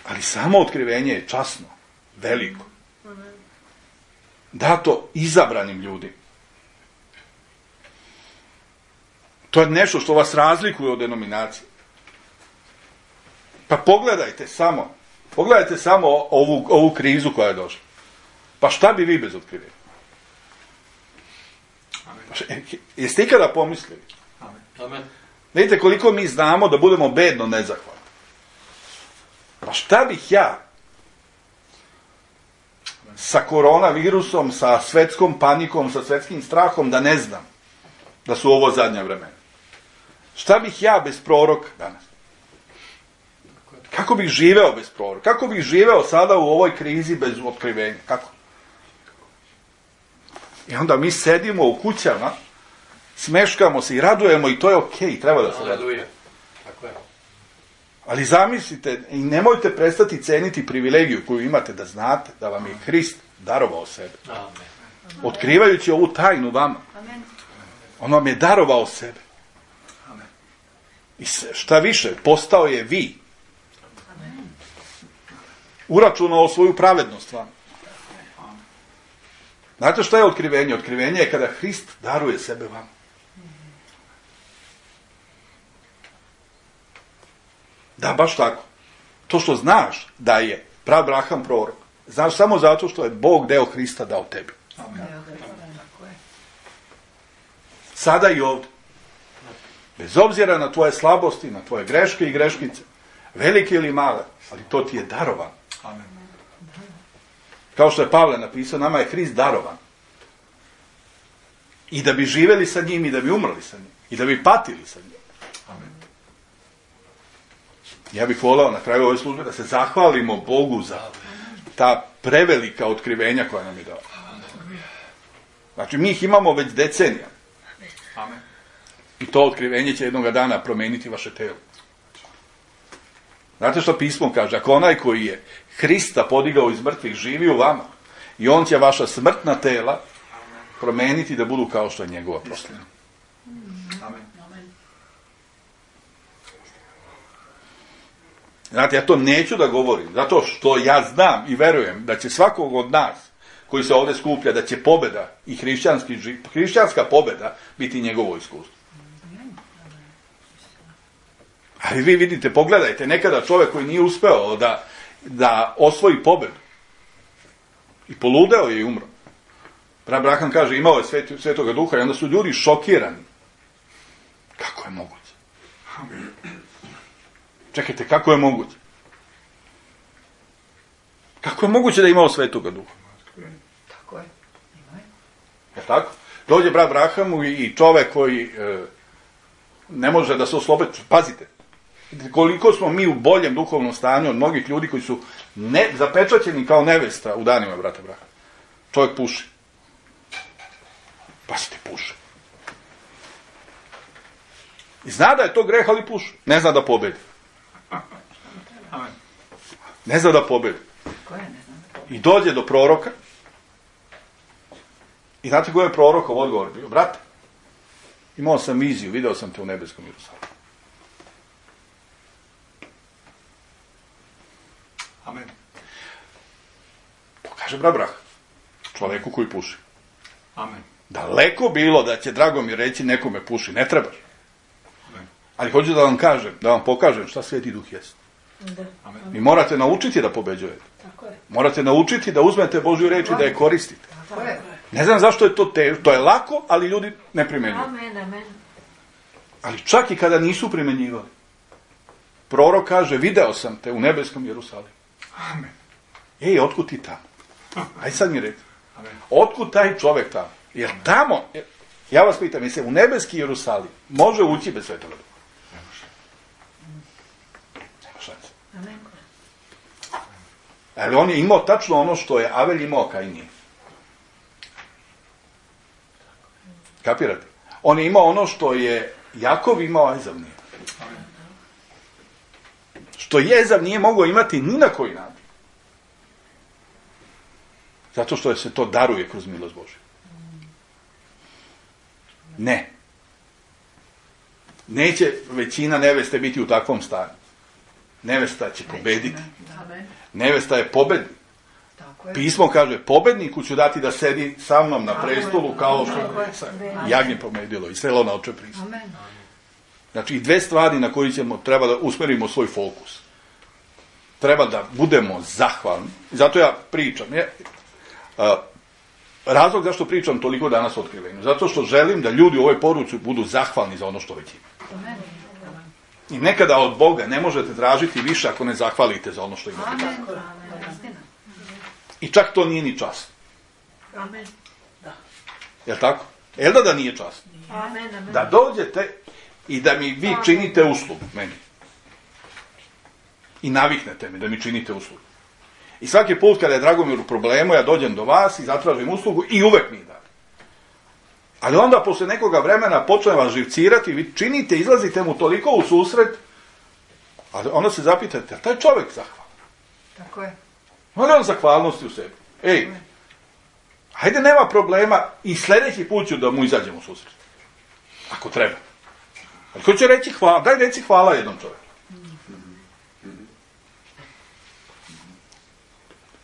Ali samo otkrivenje je časno, veliko. Dato izabranim ljudima. To je nešto što vas razlikuje od denominacije. Pa pogledajte samo, pogledajte samo ovu, ovu krizu koja je došla. Pa šta bi vi bez otkrivenja? Amen. Jeste ikada pomislili? Amen. Amen. Vidite koliko mi znamo da budemo bedno nezahvalni. Pa šta bih ja sa koronavirusom, sa svetskom panikom, sa svetskim strahom, da ne znam da su ovo zadnja vremena. Šta bih ja bez proroka danas? Kako bih živeo bez proroka? Kako bih živeo sada u ovoj krizi bez otkrivenja? Kako? I onda mi sedimo u kućama, smeškamo se i radujemo i to je okej, treba da se raduje. Tako je. Ali zamislite i nemojte prestati ceniti privilegiju koju imate da znate da vam je Hrist darovao sebe. Amen. Otkrivajući ovu tajnu vama. Amen. On vam je darovao sebe. I šta više, postao je vi. Uračunao svoju pravednost vam. Znate šta je otkrivenje? Otkrivenje je kada Hrist daruje sebe vam. Da, baš tako. To što znaš da je pravraham prorok, znaš samo zato što je Bog deo Hrista dao tebi. Sada i ovdje. Bez obzira na tvoje slabosti, na tvoje greške i greškice, velike ili male, ali to ti je darovan. Amen. Kao što je Pavle napisao, nama je Hrist darovan. I da bi živjeli sa njim i da bi umrli sa njim. I da bi patili sa njim. Amen. Ja bih volao na kraju ove službe da se zahvalimo Bogu za ta prevelika otkrivenja koja nam je dao. Znači, mi ih imamo već decenija. Amen. I to otkrivenje će jednoga dana promijeniti vaše telo. Znate što pismo kaže? Ako onaj koji je Hrista podigao iz mrtvih živi u vama, i on će vaša smrtna tela promijeniti da budu kao što je njegova proslava. Amen. Znate, ja to neću da govorim, zato što ja znam i verujem da će svakog od nas koji se ovdje skuplja, da će pobjeda i hrišćanski, hrišćanska pobjeda biti njegovo iskustvo. Ali vi vidite, pogledajte, nekada čovjek koji nije uspeo da, da osvoji pobjedu i poludeo je i umro. Abraham kaže, imao je sveti, svetoga duha i onda su ljudi šokirani. Kako je moguće? Čekajte, kako je moguće? Kako je moguće da je imao svetoga duha? Tako je. Je tako? Dođe brat Abrahamu i čovjek koji e, ne može da se oslobodi. Pazite, koliko smo mi u boljem duhovnom stanju od mnogih ljudi koji su ne, zapečaćeni kao nevesta u danima brata Abrahama. Čovjek puši. Pazite, puši. I zna da je to greh, ali puši. Ne zna da pobedi. Ne zna da pobedi. I dođe do proroka. I znate koji je prorokov odgovor bio? Brate, imao sam viziju, video sam te u nebeskom Jerusalimu. Amen. To kaže brat Abraham, čovjeku koji puši. Amen. Daleko bilo da će Dragomir reći nekome puši, ne trebaš. Amen. Ali hoću da vam kažem, da vam pokažem šta Sveti Duh jest. Da. Amen. Vi morate naučiti da pobeđujete. Tako je. Morate naučiti da uzmete Božju reč i da je koristite. Tako je. Ne znam zašto je to teško, to je lako, ali ljudi ne primjenjuju. Amen, amen. Ali čak i kada nisu primjenjivali. Prorok kaže, video sam te u nebeskom Jerusalimu. Amen. Ej, otkud ti tamo? Aj sad mi reći. Amen. Otkud taj čovjek tamo? Jer tamo, ja vas pitam, mislim, u nebeski Jerusalim može ući bez Svetoga Duha? Ne može. Nema šanse. Amen. Ali on je imao tačno ono što je Avelj imao, Kain nije. Kapirate? On je imao ono što je Jakov imao, a Ezav nije. Što Ezav nije mogao imati ni na koji način. Zato što je se to daruje kroz milost Božju. Ne. Neće većina neveste biti u takvom stanju. Nevesta će pobediti. Amen. Nevesta je pobednik. Tako je. Pismo kaže, pobedniku ću dati da sedi sa mnom na prestolu kao što je jagnje pobedilo i selo na oče pristup. Amen. Znači, i dve stvari na koje ćemo, treba da usmerimo svoj fokus. Treba da budemo zahvalni. Zato ja pričam. Je, a, razlog zašto pričam toliko danas o otkrivenju. Zato što želim da ljudi u ovoj poruci budu zahvalni za ono što već ima. Amen. I nekada od Boga ne možete tražiti više ako ne zahvalite za ono što imate. Amen. Amen. Istina. I čak to nije ni časno. Amen. Jel tako? Jel da da nije časno? Amen, amen. Da dođete i da mi vi činite uslugu meni. I naviknete me da mi činite uslugu. I svaki put kada je Dragomir u problemu, ja dođem do vas i zatražim uslugu i uvek mi date. Ali onda posle nekoga vremena počne vas živcirati, vi činite, izlazite mu toliko u susret, ali onda se zapitate, a taj čovjek zahvalan. Tako je. Ono je on zahvalnosti u sebi. Ej, hajde, nema problema i sljedeći put ću da mu izađem u susret. Ako treba. Ali ko će reći hvala? Daj reci hvala jednom čovjeku.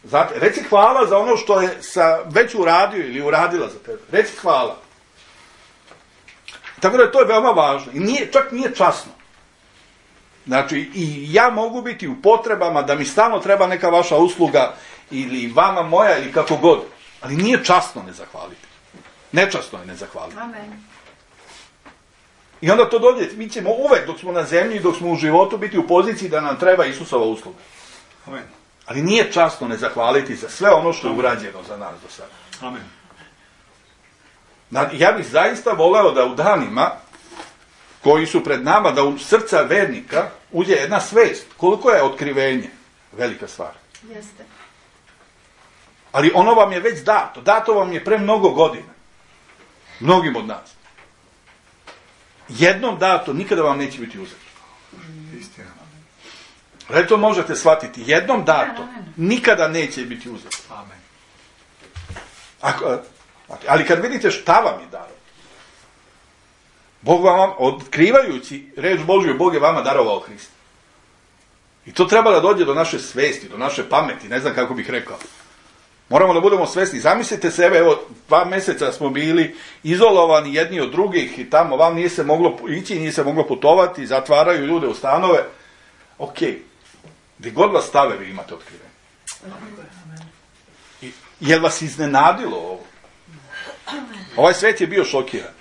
Znate, reci hvala za ono što je sa, već uradio ili uradila za tebe. Reci hvala. Tako da to je veoma važno. I nije, čak nije časno. Znači, i ja mogu biti u potrebama da mi stalno treba neka vaša usluga ili vama moja ili kako god. Ali nije časno ne zahvaliti. Nečasno je ne zahvaliti. Amen. I onda to dođe, mi ćemo uvek dok smo na zemlji i dok smo u životu biti u poziciji da nam treba Isusova usluga. Amen. Ali nije časno ne zahvaliti za sve ono što je urađeno za nas do sada. Amen. Ja bih zaista voleo da u danima koji su pred nama, da u srca vernika uđe jedna svest. Koliko je otkrivenje? Velika stvar. Jeste. Ali ono vam je već dato. Dato vam je pre mnogo godina. Mnogim od nas. Jednom dato nikada vam neće biti uzeto. Istina. Ali to možete shvatiti. Jednom dato nikada neće biti uzeto. Amen. Ako, ali kad vidite šta vam je daro, Bog vam, otkrivajući reč Božju, Bog je vama darovao Hrista. I to treba da dođe do naše svesti, do naše pameti, ne znam kako bih rekao. Moramo da budemo svesni. Zamislite sebe, evo, dva meseca smo bili izolovani jedni od drugih i tamo vam nije se moglo ići, nije se moglo putovati, zatvaraju ljude u stanove. Ok, gdje god vas stave, vi imate otkrivenje. I, je li vas iznenadilo ovo? Ovaj svet je bio šokiran.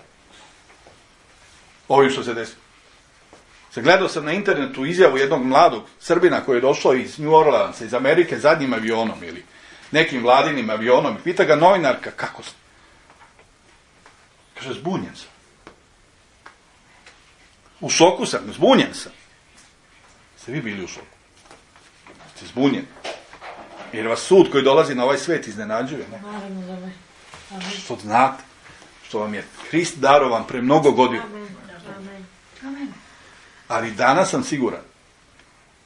Ovim što se desilo. Se gledao sam na internetu izjavu jednog mladog Srbina koji je došao iz New Orleansa, iz Amerike, zadnjim avionom ili nekim vladinim avionom. I pita ga novinarka, kako ste? Kaže, zbunjen sam. U šoku sam, zbunjen sam. Ste vi bili u šoku? Ste zbunjeni. Jer vas sud koji dolazi na ovaj svet iznenađuje, ne? Što znate, što vam je Hrist darovan pre mnogo godina. Amen. Amen. Ali danas sam siguran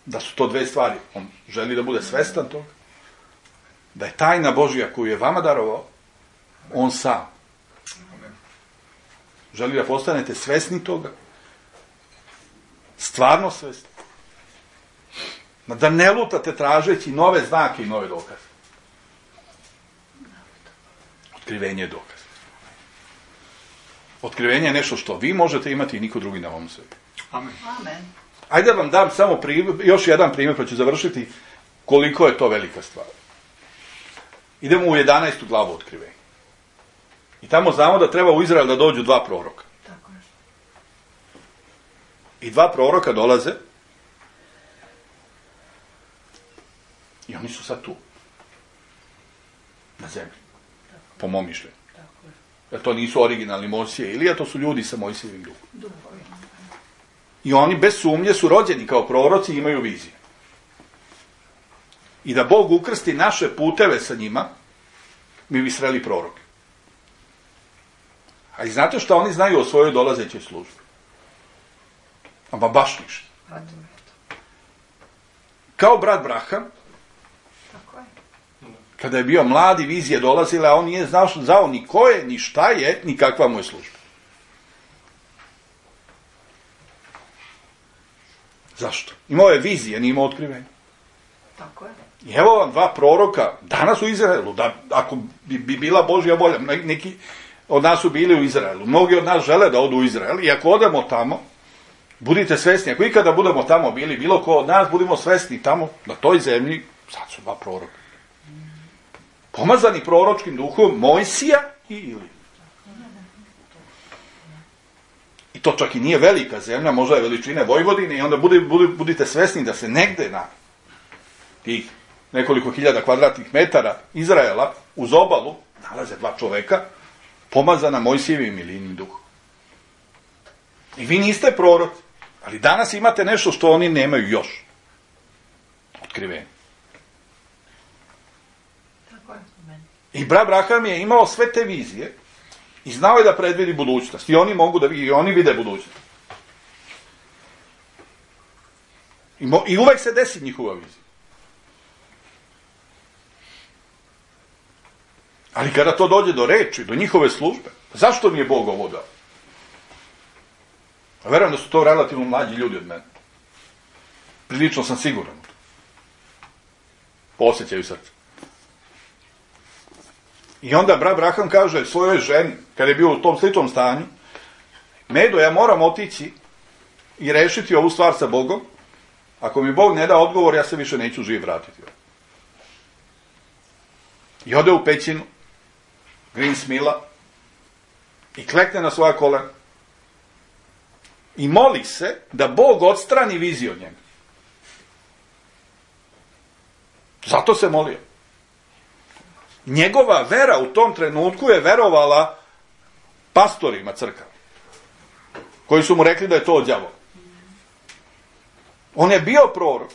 da su to dve stvari. On želi da bude svestan toga, da je tajna Božja koju je vama darovao, on sam. Želi da postanete svesni toga, stvarno svesni. Da ne lutate tražeći nove znake i nove dokaze. Otkrivenje je dokaz. Otkrivenje je nešto što vi možete imati i niko drugi na ovom svijetu. Amen. Amen. Ajde da vam dam samo primjer, još jedan primjer pa ću završiti koliko je to velika stvar. Idemo u jedanaestu glavu otkrivenja. I tamo znamo da treba u Izrael da dođu dva proroka. Tako je. I dva proroka dolaze i oni su sad tu. Na zemlji. Po mom mišljenju. Tako je. Jer to nisu originalni Mojsije i Ilija, to su ljudi sa Mojsijevim duhom. Duhovi. I oni bez sumnje su rođeni kao proroci i imaju vizije. I da Bog ukrsti naše puteve sa njima, mi bi sreli proroke. A i znate šta oni znaju o svojoj dolazećoj službi? Ama baš ništa. A to je to. Kao brat Braham, Tako je. kada je bio mladi, vizije dolazile, a on nije znao, znao ni ko je, ni šta je, ni kakva mu je služba. Zašto? Imao je vizije, nije imao otkrivenje. Tako je. I evo vam dva proroka danas u Izraelu, da, ako bi, bi bila Božja volja, neki od nas su bili u Izraelu, mnogi od nas žele da odu u Izrael i ako odemo tamo, budite svesni, ako ikada budemo tamo bili, bilo ko od nas, budimo svesni tamo, na toj zemlji, sad su dva proroka. Pomazani proročkim duhom Mojsija i Ilija. I to čak i nije velika zemlja, možda je veličine Vojvodine i onda budi, budi, budite svesni da se negde na tih nekoliko hiljada kvadratnih metara Izraela, uz obalu, nalaze dva čoveka, pomazana Mojsijevim i Ilijinim duhom. I vi niste proroci, ali danas imate nešto što oni nemaju još. Otkrivenje. Tako je. I brat Abraham je imao sve te vizije i znao je da predvidi budućnost. I oni mogu da i oni vide budućnost. I, mo, I uvek se desi njihova vizija. Ali kada to dođe do reči, do njihove službe, zašto mi je Bog ovo dao? A verujem da su to relativno mlađi ljudi od mene. Prilično sam siguran. Po osjećaju srca. I onda brat Abraham kaže svojoj ženi, kada je bio u tom sličnom stanju, Medo, ja moram otići i rešiti ovu stvar sa Bogom. Ako mi Bog ne da odgovor, ja se više neću živ vratiti. I ode u pećinu Greensmilla i klekne na svoja kolena i moli se da Bog odstrani viziju od njega. Zato se molio. Njegova vera u tom trenutku je verovala pastorima crkava, koji su mu rekli da je to od đavola. On je bio prorok.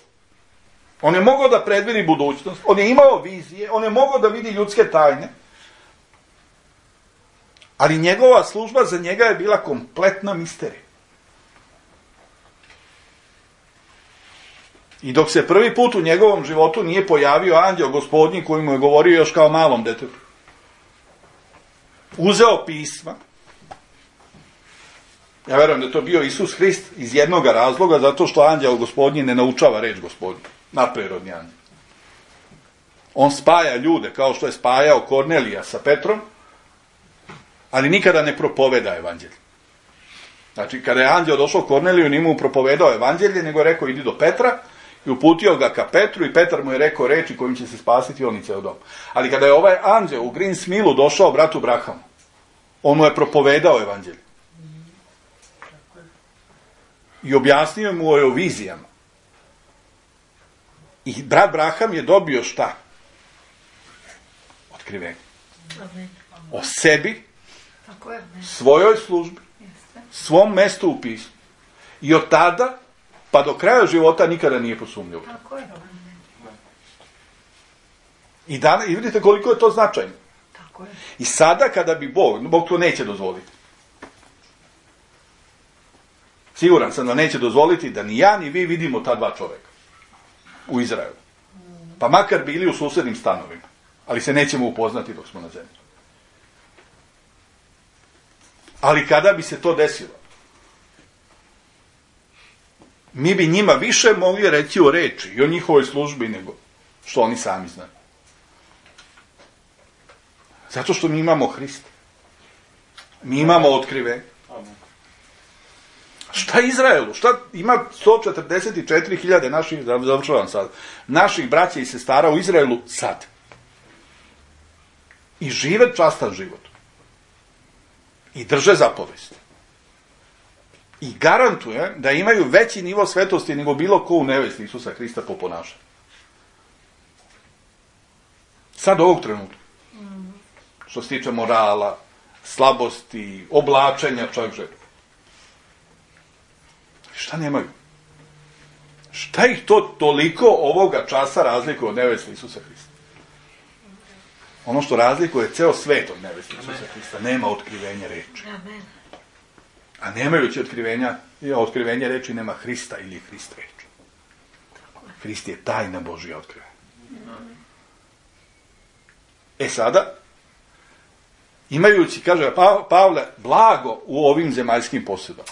On je mogao da predvidi budućnost. On je imao vizije. On je mogao da vidi ljudske tajne. Ali njegova služba za njega je bila kompletna misterija. I dok se prvi put u njegovom životu nije pojavio anđeo gospodnji koji mu je govorio još kao malom detetu, uzeo pisma. Ja verujem da je to bio Isus Hrist iz jednog razloga, zato što anđeo gospodnji ne naučava reč gospodnji, nadprirodni anđeo. On spaja ljude kao što je spajao Kornelija sa Petrom, ali nikada ne propoveda evanđelje. Znači, kada je anđeo došao Korneliju, nije mu propovedao evanđelje, nego je rekao idi do Petra i uputio ga ka Petru i Petar mu je rekao reči kojim će se spasiti on i ceo dom. Ali kada je ovaj anđeo u Greensmillu došao bratu Abrahamu, on mu je propovedao evanđelje. I objasnio mu o vizijama. I brat Abraham je dobio šta? Otkrivenje. O sebi, Tako je. svojoj službi, Jeste. svom mestu u pismu. I od tada, pa do kraja života nikada nije posumnjao. Tako je. I, dan, I vidite koliko je to značajno. Tako je. I sada kada bi Bog, Bog to neće dozvoliti. Siguran sam da neće dozvoliti da ni ja ni vi vidimo ta dva čoveka u Izraelu. Pa makar bili u susednim stanovima. Ali se nećemo upoznati dok smo na zemlji. Ali kada bi se to desilo, mi bi njima više mogli reći o reči i o njihovoj službi nego što oni sami znaju. Zato što mi imamo Hrista. Mi imamo otkrivenje. Šta Izraelu? Šta ima sto četrdeset četiri hiljade naših, završavam sad, naših braća i sestara u Izraelu sad. I žive častan život. I drže zapovesti. I garantuje da imaju veći nivo svetosti nego bilo ko u nevesti Isusa Hrista po ponašanju. Sad ovog trenutka. Što se tiče morala, slabosti, oblačenja, čovjek želi. Šta nemaju? Šta ih to toliko ovoga časa razlikuje od neveste Isusa Hrista? Ono što razlikuje ceo svet od neveste Isusa Hrista, nema otkrivenja reči. Amen. A nemajući otkrivenja, otkrivenja reči nema Hrista ili je Hrist reč. Hrist je tajna Božja otkrivenja. E sada, imajući, kaže pa, Pavle, blago u ovim zemaljskim posjedama.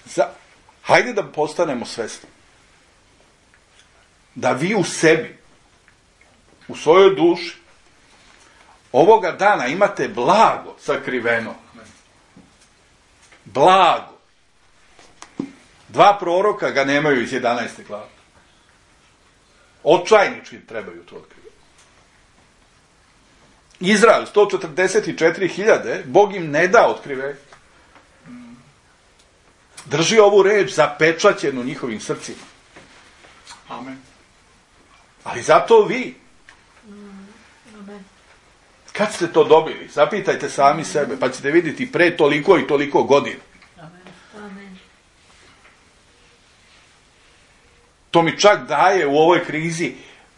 Za, hajde da postanemo svesni. Da vi u sebi, u svojoj duši, ovoga dana imate blago sakriveno. Blago. Dva proroka ga nemaju iz jedanaeste glave. Očajnički trebaju to otkrivati. Izrael, sto četrdeset četiri hiljade, Bog im ne da otkrivenje. Drži ovu reč zapečaćenu njihovim srcima. Amen. Ali zato vi, Amen. kad ste to dobili, zapitajte sami sebe, pa ćete vidjeti pre toliko i toliko godina. Amen. To mi čak daje u ovoj krizi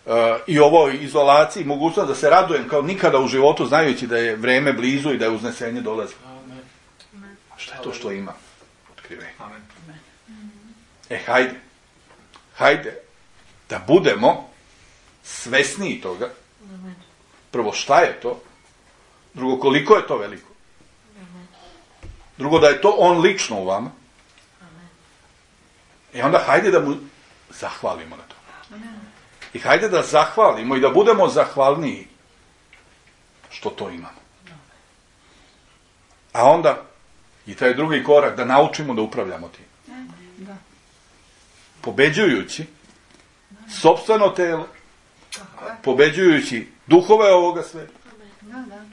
uh, i ovoj izolaciji mogućnost da se radujem kao nikada u životu, znajući da je vreme blizu i da je uznesenje dolazi. A šta je to što ima? Otkrivenje. Amen. E, hajde. Hajde da budemo svesniji toga. Amen. Prvo, šta je to? Drugo, koliko je to veliko? Drugo, da je to on lično u vama. I onda hajde da mu zahvalimo na to. I hajde da zahvalimo i da budemo zahvalniji što to imamo. A onda i taj drugi korak, da naučimo da upravljamo tim. Da. Pobeđujući sopstveno telo, Tako je. pobeđujući duhove ovoga sveta. Da, da.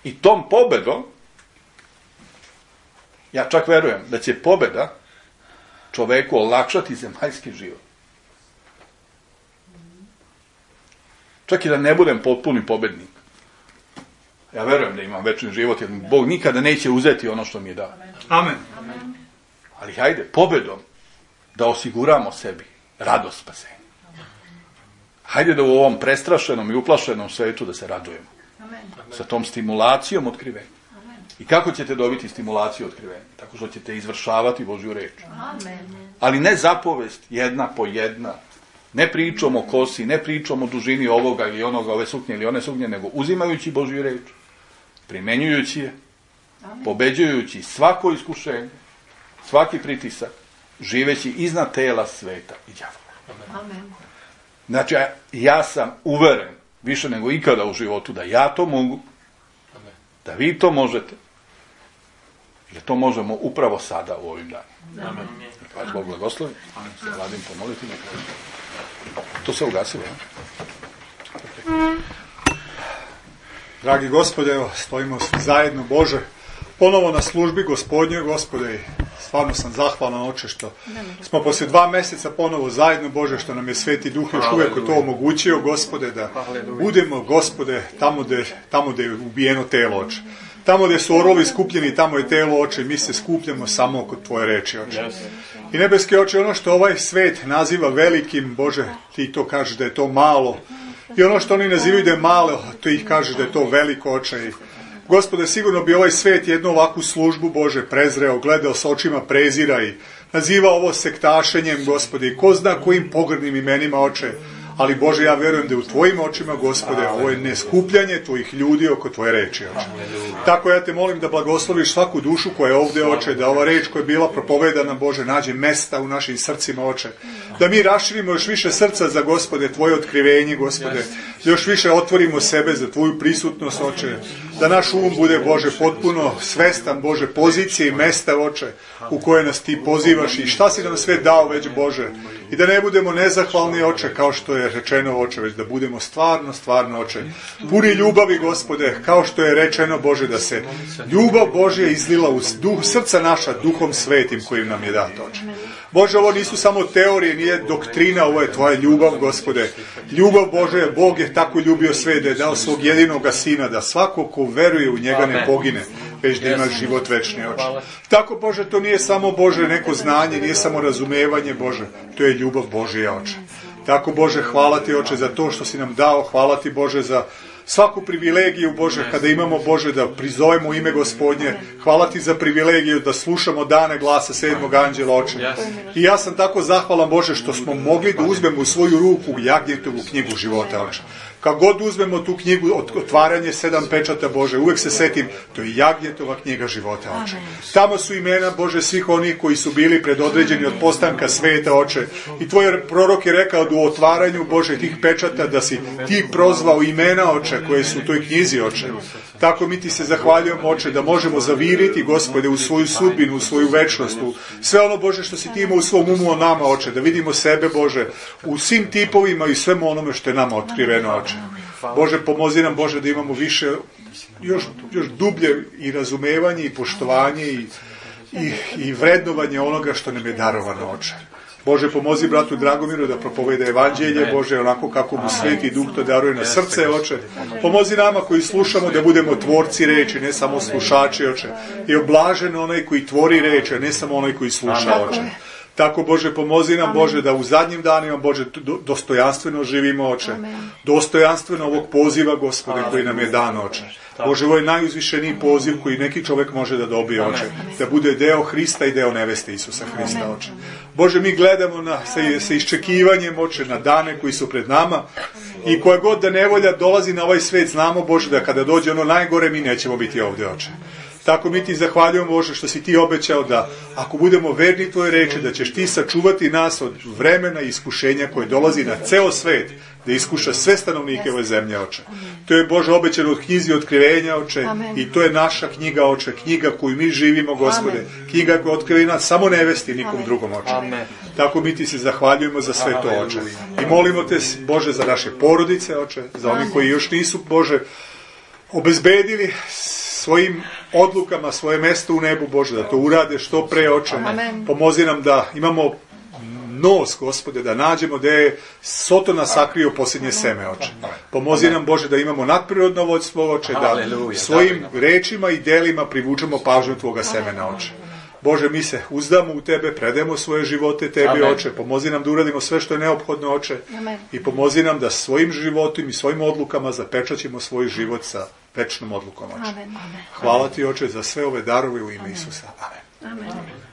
I tom pobedom, ja čak verujem da će pobeda čoveku olakšati zemaljski život. Čak i da ne budem potpuni pobednik. Ja verujem da imam večni život, jer mi Bog nikada neće uzeti ono što mi je dao. Amen. Ali hajde, pobedom da osiguramo sebi radost spasenja. Hajde da u ovom prestrašenom i uplašenom svetu da se radujemo. Amen. Sa tom stimulacijom otkrivenja. I kako ćete dobiti stimulaciju otkrivenja? Tako što ćete izvršavati Božju reč. Amen. Ali ne zapovest jedna po jedna. Ne pričom o kosi, ne pričom o dužini ovoga ili onoga, ove suknje ili one suknje, nego uzimajući Božju reč, primenjujući je, pobeđujući svako iskušenje, svaki pritisak, živeći iznad tela sveta i đavola. Amen. Znači, ja sam uveren, više nego ikada u životu, da ja to mogu, da vi to možete, i da to možemo upravo sada u ovim danima. Amen. Vas Bog blagoslovi. Se Vladim pomoliti na kraju. To se ugasilo, ja? Dragi Gospode, evo, stojimo zajedno, Bože, ponovo na službi Gospodnjoj, Gospode, i stvarno sam zahvalan, Oče, što smo poslije dva mjeseca ponovo zajedno, Bože, što nam je Sveti Duh još uvijek to omogućio, Gospode, da budemo, Gospode, tamo gdje, tamo gdje je ubijeno telo, Oče. Tamo gdje su orlovi skupljeni, tamo je telo, Oče, mi se skupljamo samo oko Tvoje reči, Oče. I nebeski Oče, ono što ovaj svet naziva velikim, Bože, Ti to kažeš da je to malo. I ono što oni nazivaju da je malo, to ih kažeš da je to veliko, Oče. I, Gospode, sigurno bi ovaj svet jednu ovakvu službu, Bože, prezreo, gledao s očima prezira i nazivao ovo sektašenjem, Gospode, i ko zna kojim pogrdnim imenima, Oče. Ali, Bože, ja vjerujem da je u Tvojim očima, Gospode, ovo je neskupljanje Tvojih ljudi oko Tvoje reči, Oče. Tako ja te molim da blagosloviš svaku dušu koja je ovdje, Oče, da ova reč koja je bila propovedana, Bože, nađe mesta u našim srcima, Oče. Da mi raširimo još više srca za, Gospode, Tvoje otkrivenje, Gospode. Da još više otvorimo sebe za Tvoju prisutnost, Oče. Da naš um bude, Bože, potpuno svestan, Bože, pozicije i mesta, Oče, u koje nas Ti pozivaš i šta si nam sve dao već, Bože. I da ne budemo nezahvalni, Oče, kao što je rečeno, Oče, već da budemo stvarno, stvarno, Oče, puni ljubavi, Gospode, kao što je rečeno, Bože, da se ljubav Božja izlila u duh, srca naša duhom svetim kojim nam je dato, Oče. Bože, ovo nisu samo teorije, nije doktrina, ovo je Tvoja ljubav, Gospode. Ljubav Bože, Bog je tako ljubio sve da je dao svog jedinoga Sina, da svako ko veruje u njega ne pogine, već da ima život večni, Oče. Tako, Bože, to nije samo, Bože, neko znanje, nije samo razumevanje, Bože, to je ljubav Božja, Oče. Tako, Bože, hvala Ti, Oče, za to što si nam dao, hvala Ti, Bože, za svaku privilegiju, Bože, kada imamo, Bože, da prizovemo ime Gospodnje. Hvala Ti za privilegiju da slušamo dane glasa sedmog anđela, Oče. I ja sam tako zahvalan, Bože, što smo mogli da uzmemo u svoju ruku Jagnjetovu knjigu života, Oče. Kad god uzmemo tu knjigu, otvaranje sedam pečata, Bože, uvijek se setim, to je Jagnjetova knjiga života, Oče. Tamo su imena, Bože, svih onih koji su bili predodređeni od postanka sveta, Oče. I Tvoj prorok je rekao da u otvaranju, Bože, tih pečata, da si Ti prozvao imena, Oče, koje su u toj knjizi, Oče. Tako mi Ti se zahvaljujemo, Oče, da možemo zaviriti, Gospode, u svoju sudbinu, u svoju večnost, u sve ono, Bože, što si Ti imao u svom umu o nama, Oče, da vidimo sebe, Bože, u svim tipovima i svemu onome što je nama otkriveno, Oče. Bože, pomozi nam, Bože, da imamo više, još, još dublje i razumevanje i poštovanje i, i, i vrednovanje onoga što nam je darovano, Oče. Bože, pomozi bratu Dragomiru da propoveda evanđelje, Bože, onako kako mu Sveti Duh to daruje na srce, Oče. Pomozi nama koji slušamo da budemo tvorci reči, ne samo slušači, Oče. I oblažen onaj koji tvori reči, ne samo onaj koji sluša, Oče. Tako, Bože, pomozi nam, Bože, da u zadnjim danima, Bože, dostojanstveno živimo, Oče. Dostojanstveno ovog poziva, Gospode, koji nam je dan, Oče. Bože, ovo je najuzvišeniji poziv koji neki čovjek može da dobije, Oče. Da bude deo Hrista i deo neveste Isusa Hrista, Oče. Bože, mi gledamo na, sa, sa iščekivanjem, Oče, na dane koji su pred nama i koja god da nevolja dolazi na ovaj svet, znamo, Bože, da kada dođe ono najgore, mi nećemo biti ovdje, Oče. Tako mi ti zahvaljujemo, Bože, što si ti obećao da ako budemo verni tvoje reči, da ćeš ti sačuvati nas od vremena i iskušenja koje dolazi na ceo svet, da iskuša sve stanovnike ove zemlje, Oče. To je, Bože, obećano od knjizi Otkrivenja, Oče, i to je naša knjiga, Oče, knjiga koju mi živimo, Gospode, knjiga koja otkriva nas samo nevesti nikom drugom, Oče. Tako mi ti se zahvaljujemo za sve to, Oče. I molimo te, Bože, za naše porodice, Oče, za oni koji još nisu, Bože, obezbedili svojim odlukama svoje mesto u nebu, Bože, da to urade što pre, Oče. Pomozi nam da imamo nos, Gospode, da nađemo da je Sotona sakrio posljednje seme, Oče. Pomozi nam, Bože, da imamo nadprirodno vođstvo, Oče, da svojim rečima i delima privučemo pažnju tvoga semena, Oče. Bože, mi se uzdamo u tebe, predajemo svoje živote tebi, Oče. Pomozi nam da uradimo sve što je neophodno, Oče. I pomozi nam da svojim životom i svojim odlukama zapečaćemo svoj život sa večnom odlukom, Oče. Hvala ti, Oče, za sve ove darove u ime Isusa. Amen. Amen.